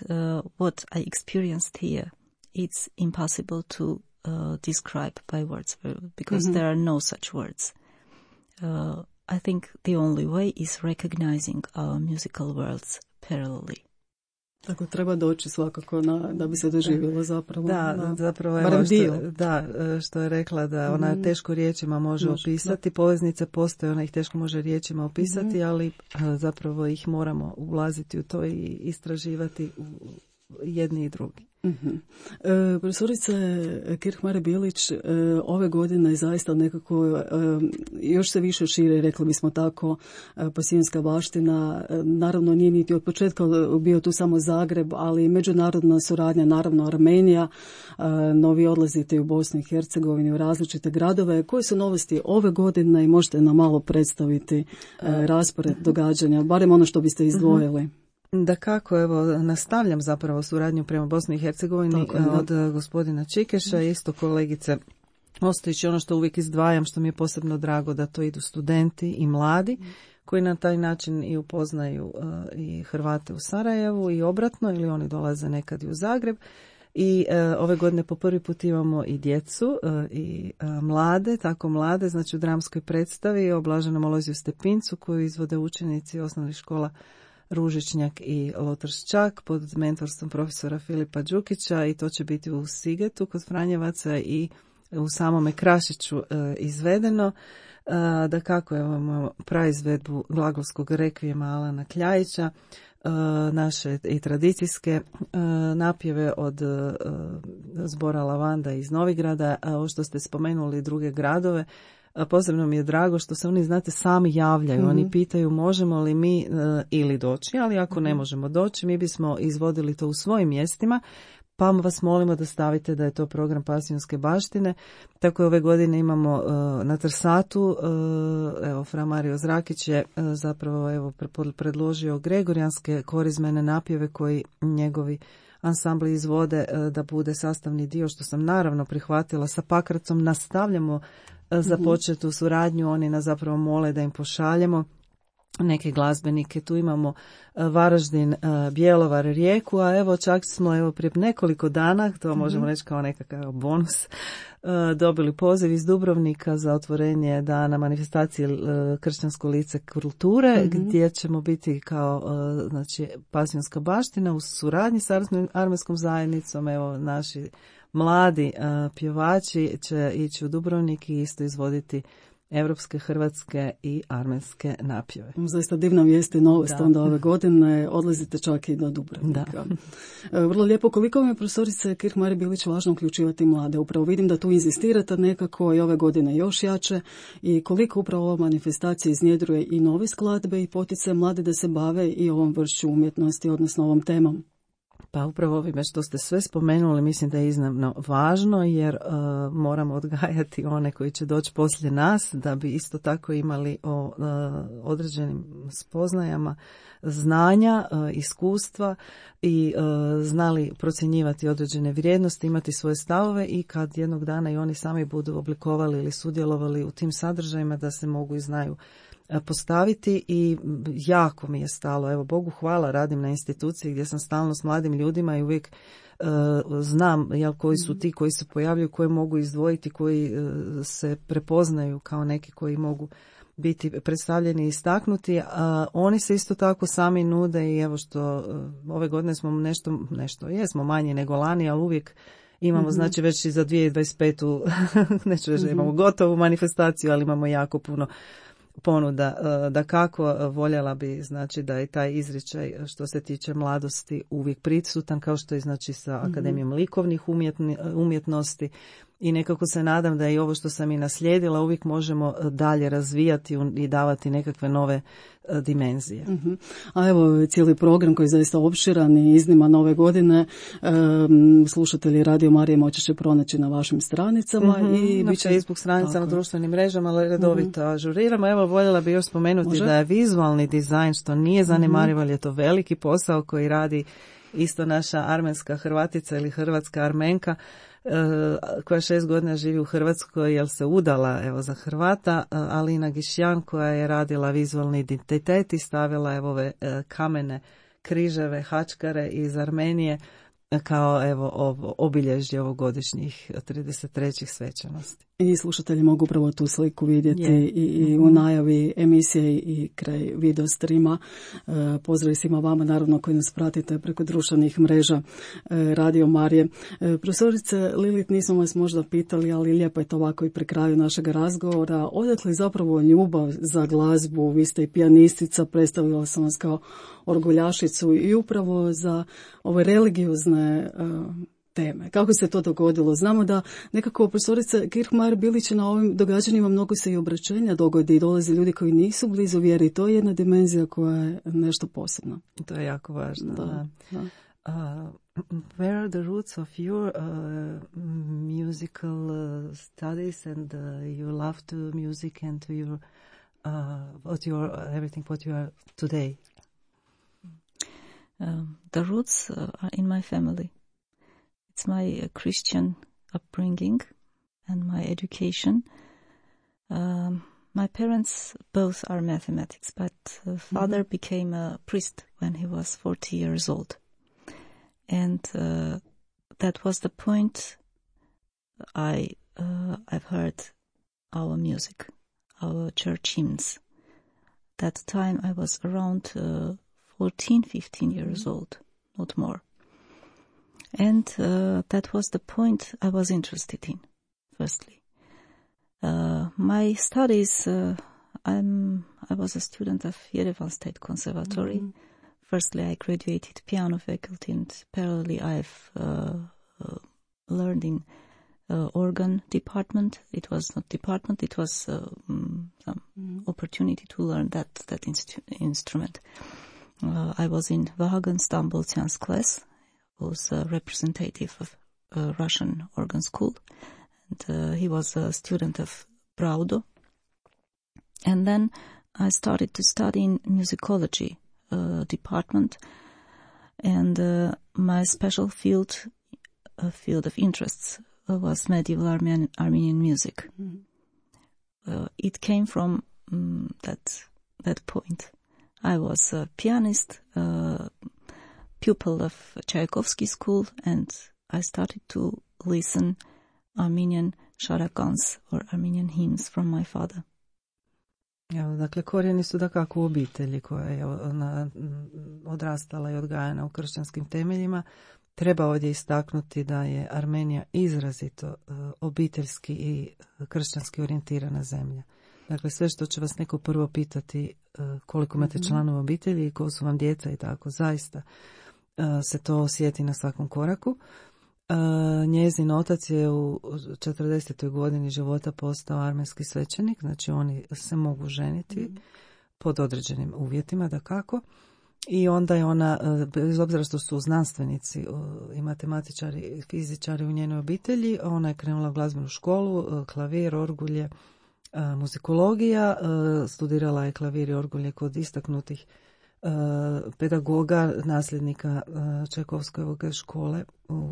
what I experienced here, it's impossible to describe by words because there are no such words. I think the only way is recognizing our musical worlds parallelly. Tako treba doći svakako da bi se doživjelo zapravo. Da, zapravo evo što je rekla da ona teško riječima može opisati, poveznice postoje, ona ih teško može riječima opisati, ali zapravo ih moramo ulaziti u to i istraživati jedni i drugi. Profesorice Kirchmare-Bilić, ove godine zaista nekako još se više širi, rekli bismo tako, pasijanska baština. Naravno nije niti od početka bio tu samo Zagreb, ali međunarodna suradnja, naravno Armenija, novi odlazite u Bosnu i Hercegovini, u različite gradove. Koje su novosti ove godine i možete nam malo predstaviti raspored događanja, barem ono što biste izdvojili? Da kako, evo, nastavljam zapravo suradnju prema Bosni i Hercegovini od gospodina Čikeša, isto kolegice Ostojić. Ono što uvijek izdvajam, što mi je posebno drago, da to idu studenti i mladi koji na taj način i upoznaju i Hrvate u Sarajevu i obratno, ili oni dolaze nekad i u Zagreb. I ove godine po prvi put imamo i djecu i mlade, tako mlade, znači u dramskoj predstavi o Blaženom Alojziju Stepincu koju izvode učenici osnovnih škola Ružičnjak i Lotrščak pod mentorstvom profesora Filipa Đukića, i to će biti u Sigetu kod Franjevaca i u samome Krašiću izvedeno. Da kako imamo praizvedbu glagolskog rekvijema Alana Kljajića, naše i tradicijske napjeve od zbora Lavanda iz Novigrada, a ovo što ste spomenuli druge gradove. Posebno mi je drago što se oni, znate, sami javljaju. Oni pitaju možemo li mi ili doći, ali ako ne možemo doći, mi bismo izvodili to u svojim mjestima, pa vas molimo da stavite da je to program Pasijonske baštine. Tako ove godine imamo na Trsatu, evo, fra Mario Zrakić je zapravo predložio gregorijanske korizmene napjeve koji njegovi ansambli izvode da bude sastavni dio, što sam naravno prihvatila. Sa Pakracom nastavljamo započetu suradnju, oni nas zapravo mole da im pošaljemo neke glazbenike. Tu imamo Varaždin, Bjelovar, Rijeku, a evo čak smo prije nekoliko dana, to možemo reći kao nekakav bonus, dobili poziv iz Dubrovnika za otvorenje dana manifestacije Kršćansko lice kulture, gdje ćemo biti kao znači Pasionska baština u suradnji sa armenskom zajednicom. Evo naši mladi pjevači će ići u Dubrovnik i isto izvoditi europske, hrvatske i armenske napjeve. Zaista divna vijest i novost onda ove godine. Odlazite čak i do Dubrovnika. Vrlo lijepo. Koliko vam je, profesorice Kirchmaier Bilić, važno uključivati mlade? Upravo vidim da tu inzistirate nekako i ove godine još jače. I koliko upravo ova manifestacija iznjedruje i nove skladbe i potiče mlade da se bave i ovom vršću umjetnosti, odnosno ovom temom? Pa upravo ovime što ste sve spomenuli mislim da je iznimno važno, jer moramo odgajati one koji će doći poslije nas da bi isto tako imali o određenim spoznajama znanja, iskustva i znali procjenjivati određene vrijednosti, imati svoje stavove i kad jednog dana i oni sami budu oblikovali ili sudjelovali u tim sadržajima da se mogu i znaju postaviti. I jako mi je stalo, evo Bogu hvala, radim na instituciji gdje sam stalno s mladim ljudima i uvijek znam koji su ti koji se pojavljuju, koje mogu izdvojiti, koji se prepoznaju kao neki koji mogu biti predstavljeni i istaknuti, a oni se isto tako sami nude i evo što ove godine smo nešto jesmo manje nego lani, ali uvijek imamo, znači već i za 2025. neću reći da imamo gotovu manifestaciju, ali imamo jako puno ponuda. Da kako voljela bi, znači da je taj izričaj što se tiče mladosti uvijek prisutan, kao što je znači sa Akademijom likovnih umjetnosti. I nekako se nadam da i ovo što sam i naslijedila uvijek možemo dalje razvijati i davati nekakve nove dimenzije. A evo cijeli program koji je zaista opširan i izniman ove godine, slušatelji Radio Marije moći će pronaći na vašim stranicama i na Facebook stranicama, društvenim mrežama, ali redovito ažuriramo. Evo voljela bi još spomenuti da je vizualni dizajn, što nije zanemarivo, ali je to veliki posao koji radi isto naša armenska Hrvatica ili hrvatska Armenka, koja 6 godina živi u Hrvatskoj jer se udala evo za Hrvata, Alina Gišjan, koja je radila vizualni identitet i stavila evo ove kamene križeve, hačkare iz Armenije kao evo obilježje ovogodišnjih 33. svečanosti. I slušatelji mogu upravo tu sliku vidjeti i u najavi emisije i kraj video streama. Pozdrav svima vama, naravno, koji nas pratite preko društvenih mreža Radio Marije. Profesorice Lilit, nismo vas možda pitali, ali lijepo je to ovako i pri kraju našeg razgovora. Odakle zapravo ljubav za glazbu? Vi ste i pijanistica, predstavila sam vas kao orguljašicu i upravo za ove religiozne teme. Kako se to dogodilo? Znamo da nekako profesorica Kirchmaier Bilić na ovim događanjima mnogo se i obraćenja dogodi i dolaze ljudi koji nisu blizu vjeri. To je jedna dimenzija koja je nešto posebno. To je jako važno. Where are the roots of your musical studies and your love to music and to your everything what you are today? The roots are in my family. It's my Christian upbringing and my education. My parents both are mathematics, but father became a priest when he was 40 years old. And that was the point I've heard our music, our church hymns. That time I was around 14, 15 years old, not more. And that was the point I was interested in, firstly. My studies, I was a student of Yerevan State Conservatory. Firstly, I graduated piano faculty, and parallelly I've learned in organ department. It was not department, it was some opportunity to learn that instrument. I was in Vahagan Stamboltyan's class. Was a representative of Russian organ school, and he was a student of Braudo. And then I started to study in musicology department, and my special field of interests was medieval Armenian music. It came from that point. I was a pianist, pupil of Tchaikovsky school, and I started to listen Armenian charagans or Armenian hymns from my father. Evo, dakle, korijeni su dakako u obitelji koja je odrastala i odgajana u kršćanskim temeljima. Treba ovdje istaknuti da je Armenija izrazito obiteljski i kršćanski orijentirana zemlja. Dakle, sve što će vas neko prvo pitati koliko imate članova obitelji i ko su vam djeca i tako, zaista se to osjeti na svakom koraku. Njezin otac je u 40. godini života postao armenski svećenik, znači oni se mogu ženiti pod određenim uvjetima, dakako. I onda je ona, bez obzira što su znanstvenici i matematičari i fizičari u njenoj obitelji, ona je krenula u glazbenu školu, klavir, orgulje, muzikologija, studirala je klavir i orgulje kod istaknutih pedagoga, nasljednika Čajkovskojeve škole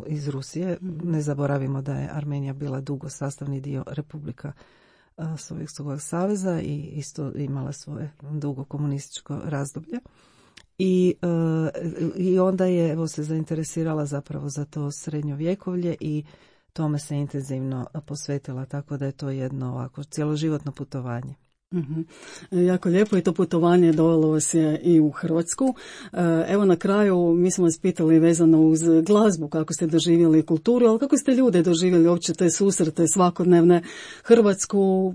iz Rusije. Ne zaboravimo da je Armenija bila dugo sastavni dio Republika Sovjetskog saveza i isto imala svoje dugo komunističko razdoblje. I onda je evo se zainteresirala zapravo za to srednjovjekovlje i tome se intenzivno posvetila, tako da je to jedno ovako cjeloživotno putovanje. Jako lijepo i to putovanje dovelo vas je i u Hrvatsku. Evo na kraju mi smo vas pitali vezano uz glazbu, kako ste doživjeli kulturu, ali kako ste ljude doživjeli uopće te susrete svakodnevne Hrvatsku.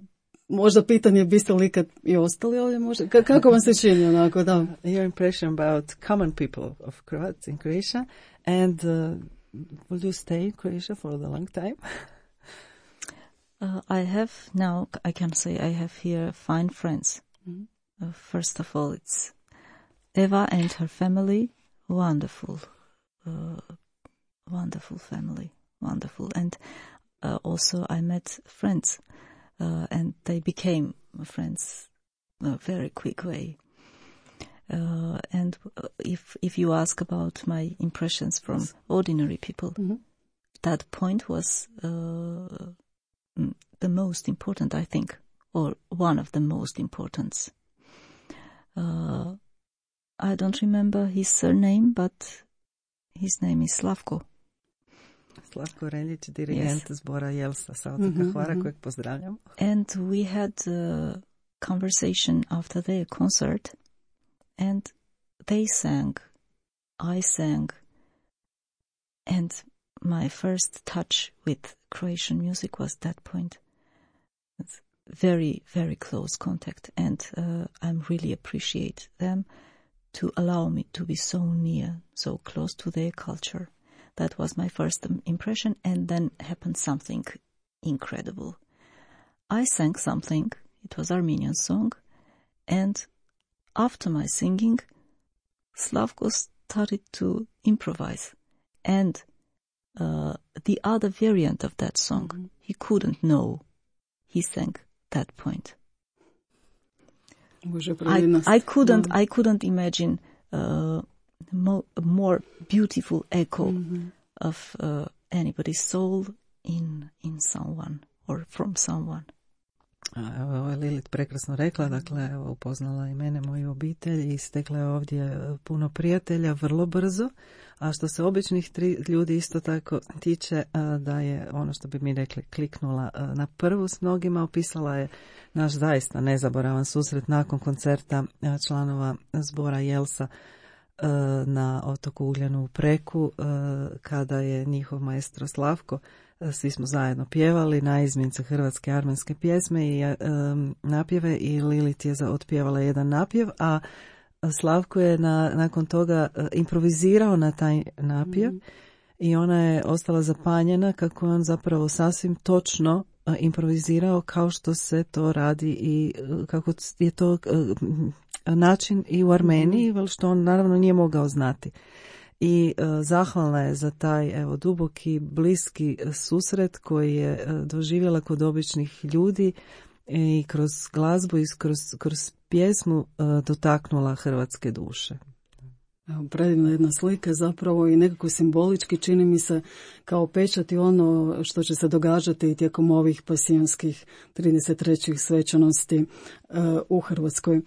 Možda pitanje, biste li ikad i ostali ovdje možda? Kako vam se čini onako, da? Your impression about common people of Croats in Croatia and will you stay in Croatia for a long time? I have now, I can say I have here fine friends. First of all, it's Eva and her family. Wonderful, wonderful family, wonderful. And also I met friends. And they became friends a very quick way. And if you ask about my impressions from ordinary people, that point was the most important, I think, or one of the most important. I don't remember his surname, but his name is Slavko. Slavko Reljić, dirigent zbora Jelsa sa otoka Hvara, kojeg pozdravljam. And we had a conversation after their concert, and they sang, I sang, and my first touch with Croatian music was that point. It's very, very close contact, and I really appreciate them to allow me to be so near, so close to their culture. That was my first impression, and then happened something incredible. I sang something, it was Armenian song, and after my singing, Slavko started to improvise. And the other variant of that song, he couldn't know. He sang that point. I couldn't imagine more beautiful echo of anybody's soul in someone or from someone. Ovo je Lilith prekrasno rekla, dakle upoznala i mene, moju obitelj i stekla je ovdje puno prijatelja vrlo brzo, a što se običnih ljudi isto tako tiče, da je ono što bi mi rekli kliknula na prvu s mnogima, opisala je naš zaista nezaboravan susret nakon koncerta članova zbora Jelsa na otoku Ugljanu u Preku, kada je njihov maestro Slavko, svi smo zajedno pjevali naizmjence hrvatske armenske pjesme i napjeve i Lilith je otpjevala jedan napjev, a Slavko je nakon toga improvizirao na taj napjev i ona je ostala zapanjena kako je on zapravo sasvim točno improvizirao kao što se to radi i kako je to način i u Armeniji, što on naravno nije mogao znati. I zahvalna je za taj duboki, bliski susret koji je doživjela kod običnih ljudi i kroz glazbu i kroz pjesmu dotaknula hrvatske duše. Predivna jedna slika zapravo i nekako simbolički čini mi se kao pečati ono što će se događati tijekom ovih pasijonskih 33. svečanosti u Hrvatskoj.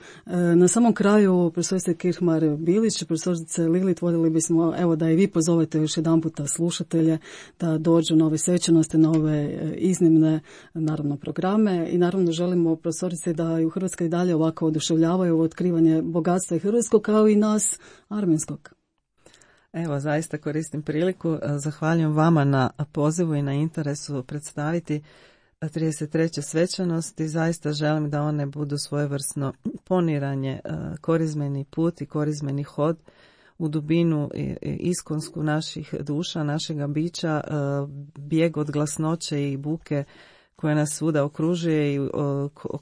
Na samom kraju, profesorice Kirchmar-Bilić, profesorice Lilit, voljeli bismo evo da i vi pozovete još jedan puta slušatelje da dođu na ove svečanosti, na ove iznimne naravno programe i naravno želimo profesorice da i u Hrvatskoj dalje ovako oduševljavaju otkrivanje bogatstva i hrvatskog kao i nas armenskog. Evo, zaista koristim priliku. Zahvaljujem vama na pozivu i na interesu predstaviti 33. svečanosti. Zaista želim da one budu svojevrsno poniranje, korizmeni put i korizmeni hod u dubinu iskonsku naših duša, našega bića, bijeg od glasnoće i buke koja nas svuda okružuje i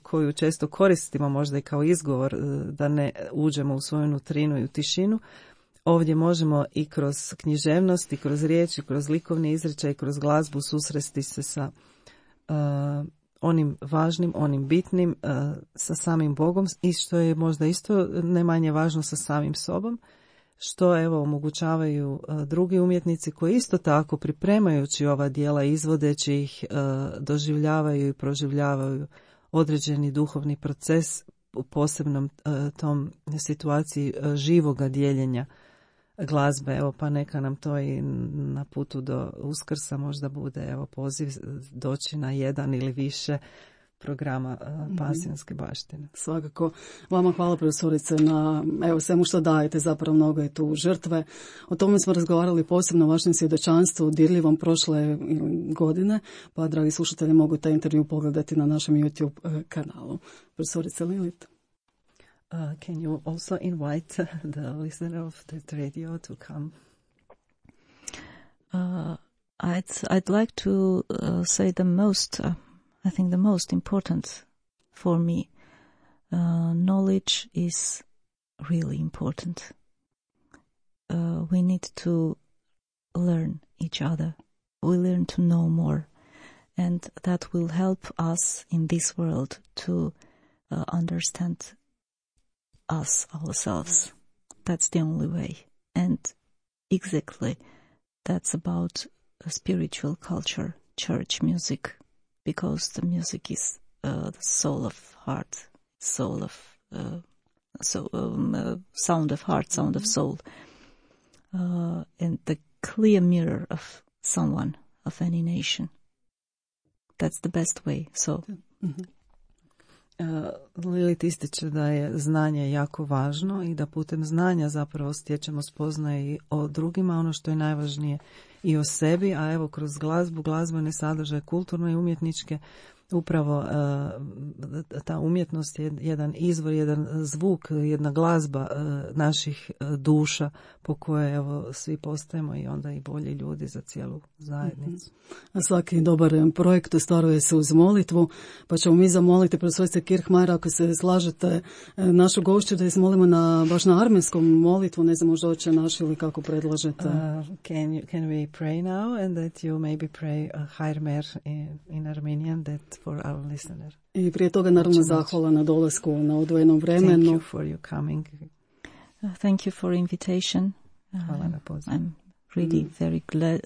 koju često koristimo možda i kao izgovor da ne uđemo u svoju nutrinu i u tišinu. Ovdje možemo i kroz književnost, i kroz riječ, i kroz likovni izričaj, i kroz glazbu susresti se sa onim važnim, onim bitnim, sa samim Bogom i što je možda isto ne manje važno sa samim sobom, što evo omogućavaju drugi umjetnici koji isto tako pripremajući ova djela, izvodeći ih, doživljavaju i proživljavaju određeni duhovni proces u posebnom tom situaciji živoga dijeljenja glazbe. Evo pa neka nam to i na putu do Uskrsa možda bude evo poziv doći na jedan ili više programa pasijonske baštine. Svakako. Vama hvala profesorice na evo svemu što dajete, zapravo mnogo je tu žrtve. O tome smo razgovarali posebno o vašem svjedočanstvu dirljivom prošle godine, pa dragi slušatelji mogu taj intervju pogledati na našem YouTube kanalu. Profesorice Lilit. Can you also invite the listener of the radio to come? I'd like to say the most, I think the most important for me, knowledge is really important. We need to learn each other. We learn to know more. And that will help us in this world to understand us, ourselves. That's the only way. And exactly, that's about a spiritual culture, church music, because the music is the soul of heart, soul of sound of heart, sound of soul, and the clear mirror of someone, of any nation. That's the best way. So. Mm-hmm. Lilit ističe da je znanje jako važno i da putem znanja zapravo stječemo spoznaje i o drugima, ono što je najvažnije i o sebi, a evo kroz glazbu, glazbene sadržaje, kulturne i umjetničke, upravo ta umjetnost je jedan izvor, jedan zvuk, jedna glazba naših duša po koje evo svi postajemo i onda i bolji ljudi za cijelu zajednicu. A svaki dobar projekt ostvaruje se uz molitvu, pa ćemo mi zamoliti profesorice Kirchmar, ako se slažete, našu gošću da izmolimo baš na armenskom molitvu, ne znam možda hoće naš ili kako predlažete. Can we pray now and that you maybe pray Hair Mer in Armenian that for our listener. I prije toga naravno zahvala na dolasku na odvojenom vremenu. Thank you for your coming. Thank you for invitation. Hvala na pozivu. I'm really very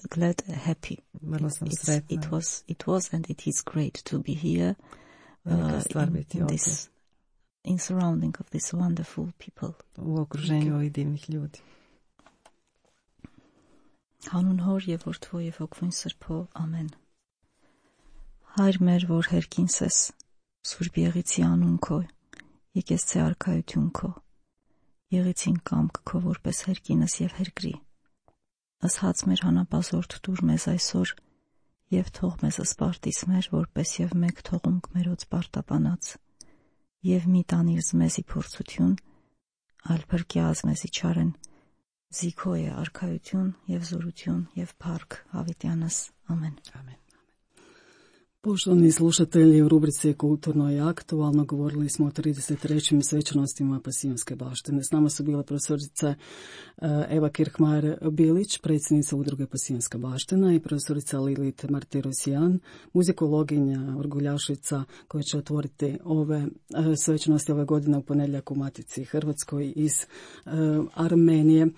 glad, happy. Vrlo sam sretna. It was and it is great to be here. In surrounding of these wonderful people. U okruženju ovih divnih ljudi. Հանուն Հոր եւ Որդու եւ Հոգու Սրբո, ամեն։ Հայր մեր, որ հերքինս ես, Սուրբ Եղիցի անուն քո, եկես ցե արքայություն քո, Եղիցին կամք քո որպես հերքինս եւ հերկրի։ Ասած մեր հանապազորդ դուր մեզ այսօր եւ թող մեզ սպարտիս մեր, որպես եւ մեկ թողունք մերոց պարտապանած, եւ մի տանիր մեզի փորձություն, այլ փրկի ազմեզի չարեն, Զիքո է արքայություն եւ զորություն եւ փառք հավիտյանս ամեն. Ամեն. Poštovani slušatelji, u rubrici Kulturno i aktualno govorili smo o 33. svečanostima Pasijonske baštine. S nama su bile profesorica Eva Kirchmar-Bilić, predsjednica udruge Pasijonska baština, i profesorica Lilit Martirosyan, muzikologinja, orguljašica, koja će otvoriti ove svečanosti ove godine u ponedjeljak u Matici Hrvatskoj iz Armenije.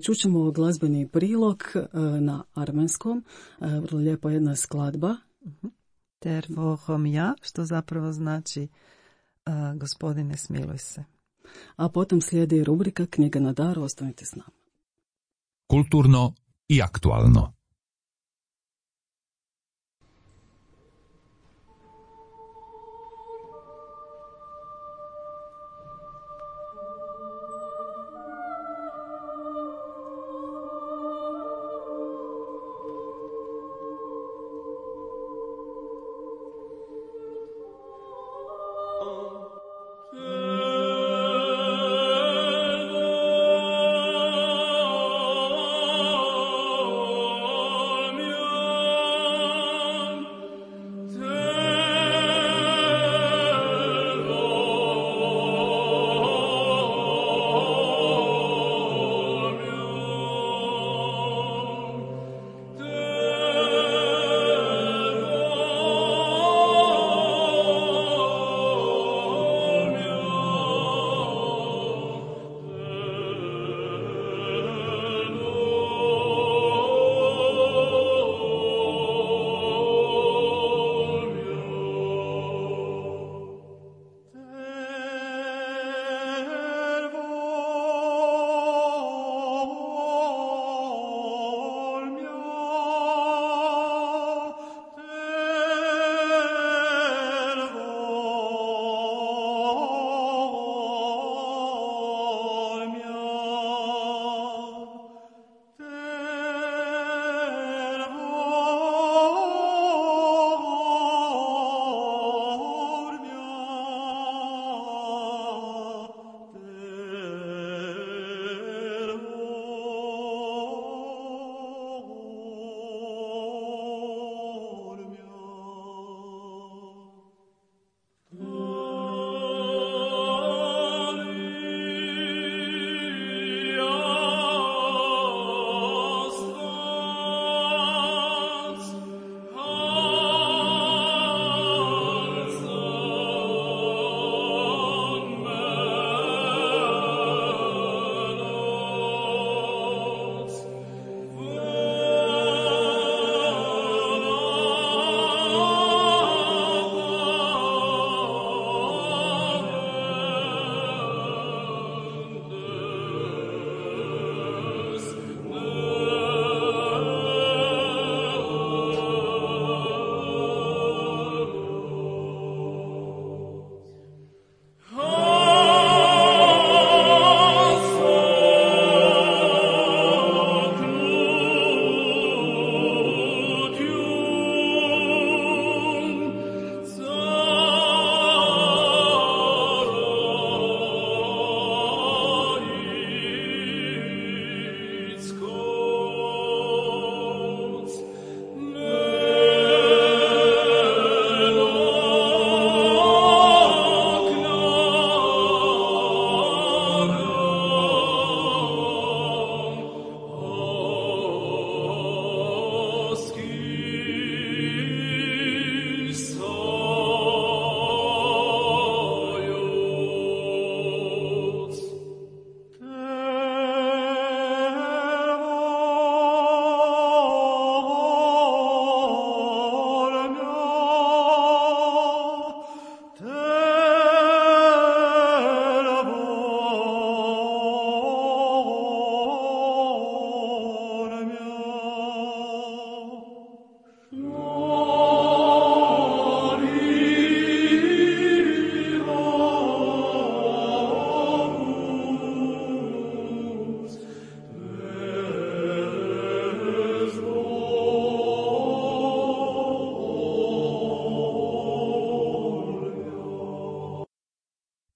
Čućemo glazbeni prilog na armenskom, vrlo lijepa jedna skladba. Tervo homja, što zapravo znači gospodine smiluj se. A potom slijedi rubrika Knjiga na dar, ostanite s nama. Kulturno i aktualno.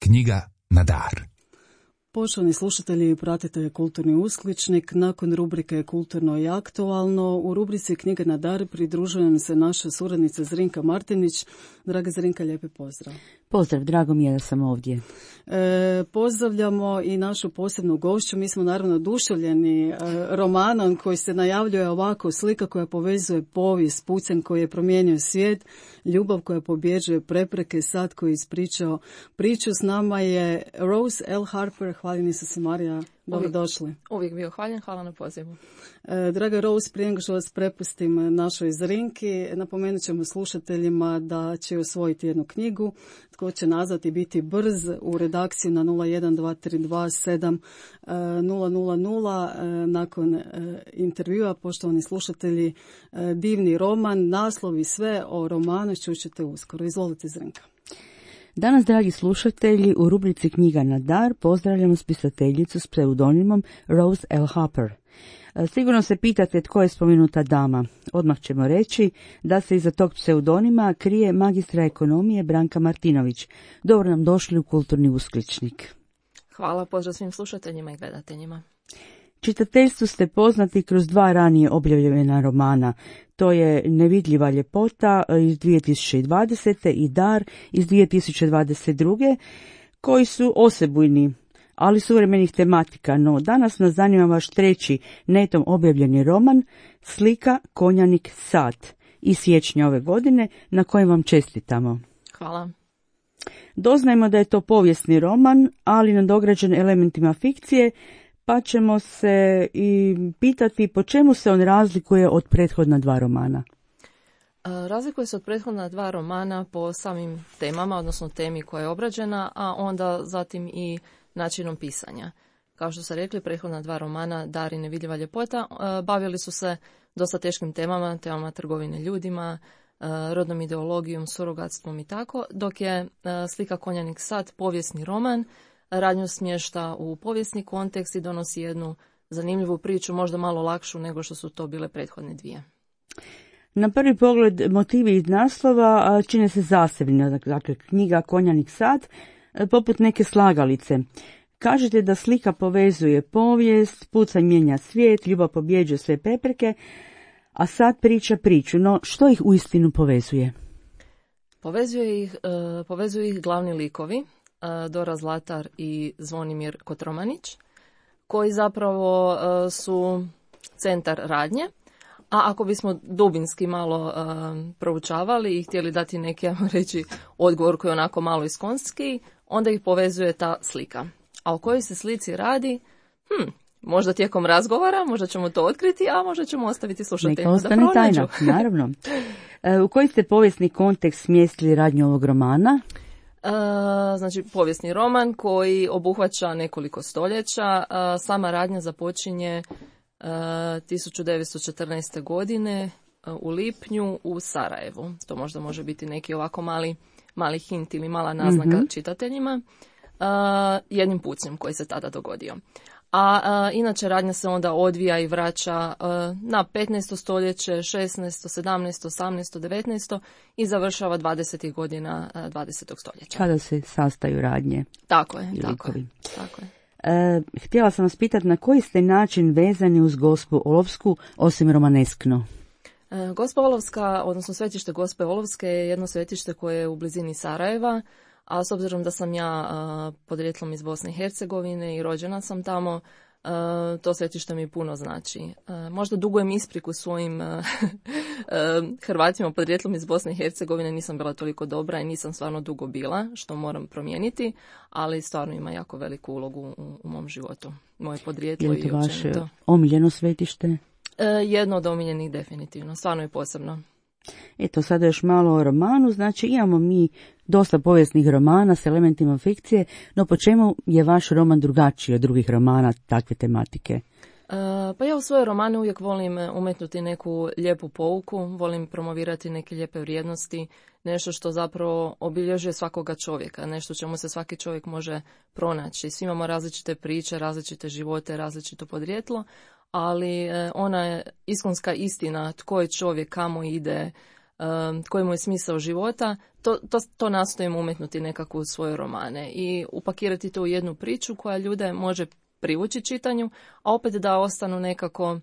Knjiga na dar. Poštovani slušatelji, pratite Kulturni uskličnik. Nakon rubrike Kulturno i aktualno, u rubrici Knjiga na dar pridružujem se naša suradnica Zrinka Martinić. Draga Zrinka, lijepi pozdrav. Pozdrav, drago mi je da sam ovdje. Pozdravljamo i našu posebnu gošću. Mi smo naravno oduševljeni romanom koji se najavljuje ovako: slika koja povezuje povijest, pucanj koji je promijenio svijet, ljubav koja pobjeđuje prepreke, sad koji je ispričao priču. S nama je Rose L. Harper. Hvaljeni su se, Marija. Dobrodošli. Uvijek bio hvaljen, hvala na pozivu. Draga Rose, prije nego što vas prepustim našoj Zrinki, napomenut ćemo slušateljima da će osvojiti jednu knjigu. Tko će nazvati biti brz u redakciju na 012327000. Nakon intervjua, poštovani slušatelji, divni roman, naslov i sve o romanu čućete uskoro. Izvolite, Zrinka. Danas, dragi slušatelji, u rubrici Knjiga na dar pozdravljamo spisateljicu s pseudonimom Rose L. Harper. Sigurno se pitate tko je spomenuta dama. Odmah ćemo reći da se iza tog pseudonima krije magistra ekonomije Branka Martinović. Dobro nam došli u Kulturni uskličnik. Hvala, pozdrav svim slušateljima i gledateljima. Čitateljstvu ste poznati kroz 2 ranije objavljena romana. To je Nevidljiva ljepota iz 2020. i Dar iz 2022. koji su osebujni, ali suvremenih tematika. No danas nas zanima vaš 3. netom objavljeni roman Slika, konjanik, sat iz siječnja ove godine, na kojem vam čestitamo. Hvala. Doznajemo da je to povijesni roman, ali nadograđen elementima fikcije, pa ćemo se i pitati po čemu se on razlikuje od prethodna 2 romana. Razlikuje se od prethodna 2 romana po samim temama, odnosno temi koja je obrađena, a onda zatim i načinom pisanja. Kao što ste rekli, prethodna 2 romana, Dar i Nevidljiva ljepota, bavili su se dosta teškim temama trgovine ljudima, rodnom ideologijom, surogatstvom i tako, dok je Slika, konjanik, sat povijesni roman, radnju smješta u povijesni kontekst i donosi jednu zanimljivu priču, možda malo lakšu nego što su to bile prethodne 2. Na prvi pogled motivi iz naslova čine se zasebni, dakle knjiga, konjanik, sat, poput neke slagalice. Kažete da slika povezuje povijest, pucanj mijenja svijet, ljubav pobjeđuje sve prepreke, a sat priča priču. No što ih uistinu povezuje? Povezuju ih glavni likovi, Dora Zlatar i Zvonimir Kotromanić, koji zapravo su centar radnje, a ako bismo dubinski malo proučavali i htjeli dati neki, ajmo reći, odgovor koji je onako malo iskonski, onda ih povezuje ta slika. A o kojoj se slici radi? Možda tijekom razgovora, možda ćemo to otkriti, a možda ćemo ostaviti slušateljima da pronađu. Tajna, naravno. U koji ste povijesni kontekst smjestili radnju ovog romana? Znači, povijesni roman koji obuhvaća nekoliko stoljeća. Sama radnja započinje 1914. godine u lipnju u Sarajevu. To možda može biti neki ovako mali hint ili mala naznaka čitateljima. Jednim pucnjem koji se tada dogodio. A inače radnja se onda odvija i vraća na 15. stoljeće, 16., 17., 18., 19. i završava 20. godina 20. stoljeća. Kada se sastaju radnje. Tako je. Htjela sam vas pitati na koji ste način vezani uz Gospu Olovsku, osim romaneskno? Gospa Olovska, odnosno svetište Gospe Olovske je jedno svetište koje je u blizini Sarajeva, a s obzirom da sam ja podrijetlom iz Bosne i Hercegovine i rođena sam tamo, to svetište mi puno znači. Možda dugujem ispriku svojim Hrvatima podrijetlom iz Bosne i Hercegovine, nisam bila toliko dobra i nisam stvarno dugo bila, što moram promijeniti, ali stvarno ima jako veliku ulogu u mom životu. Moje podrijetlo i općenito. Je li to vaše omiljeno svetište? Jedno od omiljenih definitivno, stvarno je posebno. Eto, sada još malo o romanu, znači imamo mi dosta povijesnih romana s elementima fikcije, no po čemu je vaš roman drugačiji od drugih romana takve tematike? Pa ja u svoje romane uvijek volim umetnuti neku lijepu pouku, volim promovirati neke lijepe vrijednosti, nešto što zapravo obilježuje svakoga čovjeka, nešto čemu se svaki čovjek može pronaći. Svi imamo različite priče, različite živote, različito podrijetlo, ali ona je iskonska istina, tko je čovjek, kamo ide, koji mu je smisao života, to nastojimo umetnuti nekako u svoje romane i upakirati to u jednu priču koja ljude može privući čitanju, a opet da ostanu nekako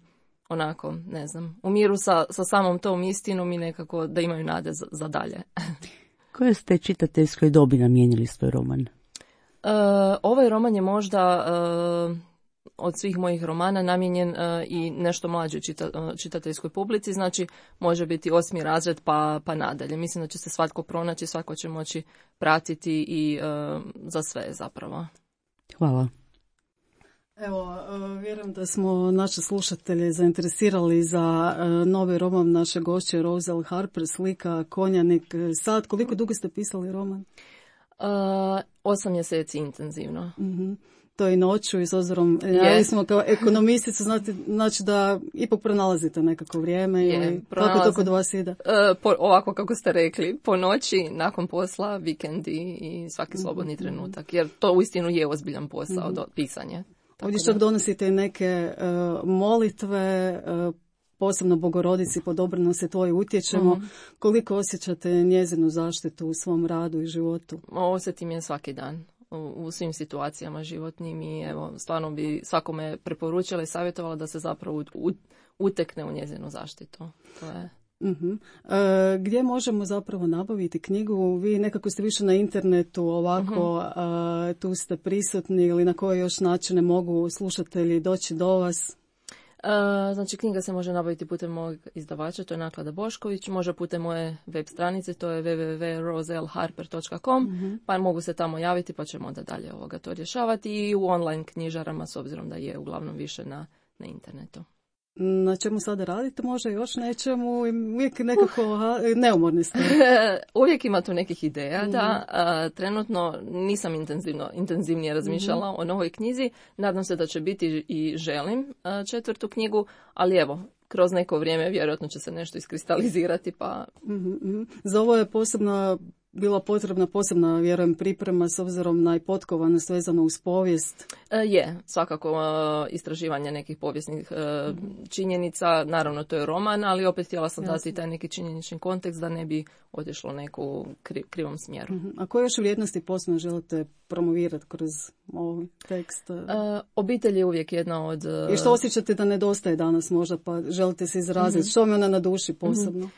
onako, ne znam, u miru sa samom tom istinom i nekako da imaju nade za dalje. Koje ste čitateljskoj dobi namijenili svoj roman? Ovaj roman je možda od svih mojih romana namijenjen i nešto mlađoj čitateljskoj publici, znači može biti 8. razred pa nadalje. Mislim da će se svatko pronaći, svatko će moći pratiti i za sve zapravo. Hvala. Evo, vjerujem da smo naše slušatelje zainteresirali za novi roman naše gošće Roselle Harper, Slika, Konjanik, sad. Koliko dugo ste pisali roman? 8 mjeseci intenzivno. Mm-hmm. To i noću i s obzirom, ja smo kao ekonomisticu, znači da ipak pronalazite nekako vrijeme ili kako to kod vas ide? Ovako kako ste rekli, po noći, nakon posla, vikendi i svaki slobodni trenutak, jer to uistinu je ozbiljan posao, pisanje. Ovdje čak donosite i neke molitve, posebno Bogorodici, po dobrano se tvoje utječemo. Koliko osjećate njezinu zaštitu u svom radu i životu? Osjetim je svaki dan. U svim situacijama životnim i evo, stvarno bi svakome preporučila i savjetovala da se zapravo utekne u njezinu zaštitu. To je... Gdje možemo zapravo nabaviti knjigu? Vi nekako ste više na internetu, ovako tu ste prisutni ili na koje još načine mogu slušatelji doći do vas? Znači, knjiga se može nabaviti putem mojeg izdavača, to je Naklada Bošković, može putem moje web stranice, to je www.roselleharper.com, pa mogu se tamo javiti pa ćemo onda dalje to rješavati i u online knjižarama, s obzirom da je uglavnom više na internetu. Na čemu sada radite? Možda još nečemu? Uvijek nekako neumorni ste. Uvijek ima tu nekih ideja, da. Trenutno nisam intenzivnije razmišljala o novoj knjizi. Nadam se da će biti i želim 4. knjigu, ali evo, kroz neko vrijeme vjerojatno će se nešto iskristalizirati. Pa... Za ovo je bila potrebna posebna, vjerujem, priprema s obzirom na potkovanost vezano uz povijest? Je, svakako istraživanje nekih povijesnih činjenica, naravno to je roman, ali opet htjela sam dati taj neki činjenični kontekst da ne bi otišlo neku krivom smjeru. A koje još vrijednosti posebno želite promovirati kroz ovaj tekst? Obitelj je uvijek jedna od... I što osjećate da nedostaje danas možda, pa želite se izraziti? Što mi ona na duši posebno?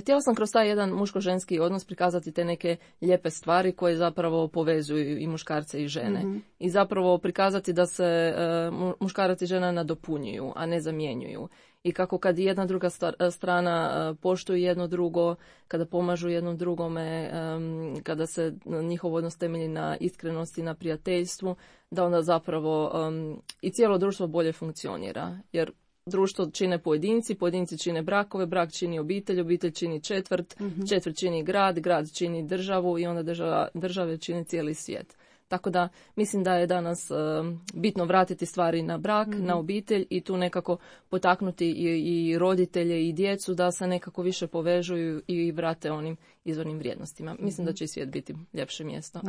Htjela sam kroz taj jedan muško-ženski odnos prikazati te neke lijepe stvari koje zapravo povezuju i muškarce i žene. I zapravo prikazati da se muškarac i žena nadopunjuju, a ne zamjenjuju. I kako kad jedna druga strana poštuju jedno drugo, kada pomažu jednom drugome, kada se njihov odnos temelji na iskrenosti, na prijateljstvu, da onda zapravo i cijelo društvo bolje funkcionira. Jer društvo čine pojedinci čine brakove, brak čini obitelj čini četvrt čini grad čini državu i onda države čini cijeli svijet. Tako da mislim da je danas bitno vratiti stvari na brak, na obitelj i tu nekako potaknuti i roditelje i djecu da se nekako više povežuju i vrate onim izvornim vrijednostima. Mislim da će i svijet biti ljepše mjesto.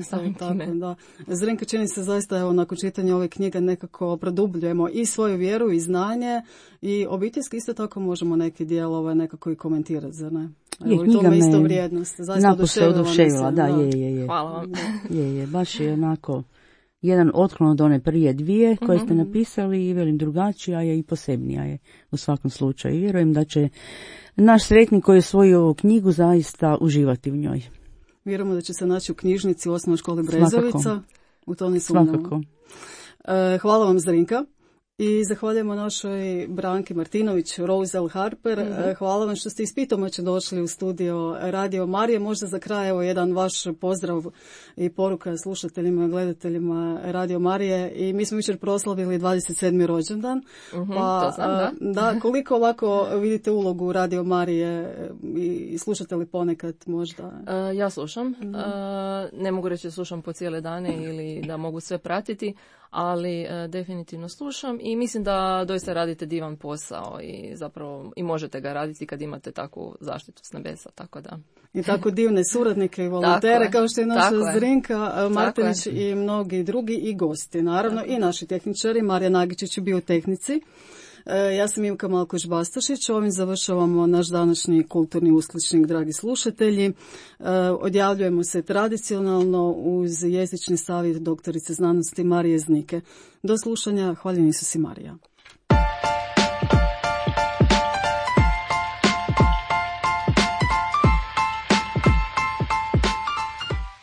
Da. Zrinka, čini se zaista, evo, nakon čitanja ove knjige nekako produbljujemo i svoju vjeru i znanje i obiteljski isto tako možemo neke dijelove nekako i komentirati, zar ne? Evo, i tome isto vrijednost. Zaista oduševila, da, je. Hvala vam. Je, baš je onako jedan otklon od one prije dvije koje ste napisali i velim drugačija je i posebnija je u svakom slučaju. Vjerujem da će naš sretnik koji je osvojio ovu knjigu zaista uživati u njoj. Vjerujemo da će se naći u knjižnici u Osnovnoj školi Brezovica. U to ne sumnjamo. Svakako. Hvala vam, Zrinka. I zahvaljujemo našoj Branki Martinović, Roselle Harper. Hvala vam što ste iz Pitomače došli u studio Radio Marije. Možda za kraj evo jedan vaš pozdrav i poruka slušateljima i gledateljima Radio Marije. I mi smo jučer proslavili 27. rođendan. To znam, da. Koliko ovako vidite ulogu Radio Marije i slušate li ponekad možda? Ja slušam. Ne mogu reći da slušam po cijele dane ili da mogu sve pratiti, ali definitivno slušam i mislim da doista radite divan posao i zapravo i možete ga raditi kad imate takvu zaštitu s nebesa, tako da. I tako divne suradnike i volontere kao što je naša Zrinka Martinić i mnogi drugi i gosti, naravno i naši tehničari, Marija Nagičić je bio u tehnici. Ja sam Ivka Malkoš-Bastašić, ovim završavamo naš današnji kulturni uskličnik, dragi slušatelji. Odjavljujemo se tradicionalno uz jezični savjet doktorice znanosti Marije Znike. Do slušanja, hvaljeni Isus i Marija.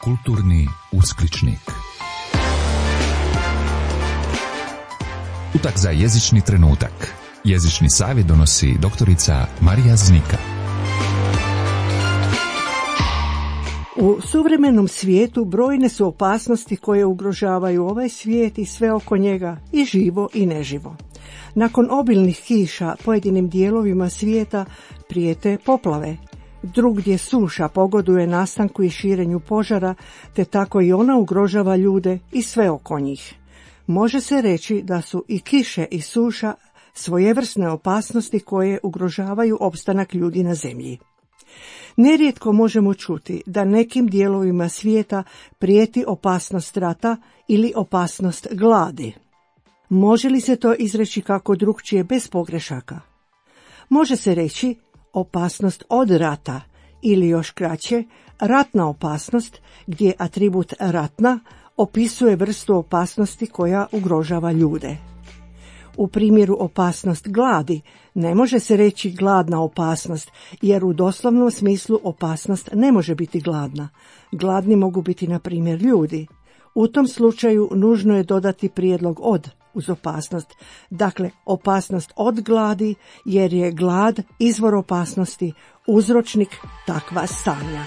Kulturni uskličnik. Utak za jezični trenutak. Jezični savjet donosi doktorica Marija Znika. U suvremenom svijetu brojne su opasnosti koje ugrožavaju ovaj svijet i sve oko njega, i živo i neživo. Nakon obilnih kiša pojedinim dijelovima svijeta prijete poplave. Drugdje suša pogoduje nastanku i širenju požara, te tako i ona ugrožava ljude i sve oko njih. Može se reći da su i kiše i suša svojevrsne opasnosti koje ugrožavaju opstanak ljudi na zemlji. Nerijetko možemo čuti da nekim dijelovima svijeta prijeti opasnost rata ili opasnost gladi. Može li se to izreći kako drukčije bez pogrešaka? Može se reći opasnost od rata ili još kraće ratna opasnost, gdje atribut ratna opisuje vrstu opasnosti koja ugrožava ljude. U primjeru opasnost gladi ne može se reći gladna opasnost, jer u doslovnom smislu opasnost ne može biti gladna. Gladni mogu biti, na primjer, ljudi. U tom slučaju nužno je dodati prijedlog od uz opasnost. Dakle, opasnost od gladi, jer je glad izvor opasnosti, uzročnik takva stanja.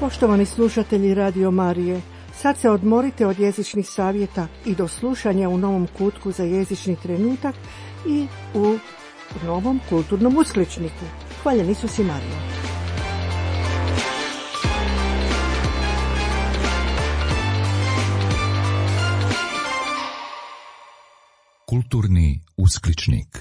Poštovani slušatelji Radio Marije, sad se odmorite od jezičnih savjeta i do slušanja u novom kutku za jezični trenutak i u novom kulturnom uskličniku. Hvaljeni Isus i Marija. Kulturni uskličnik.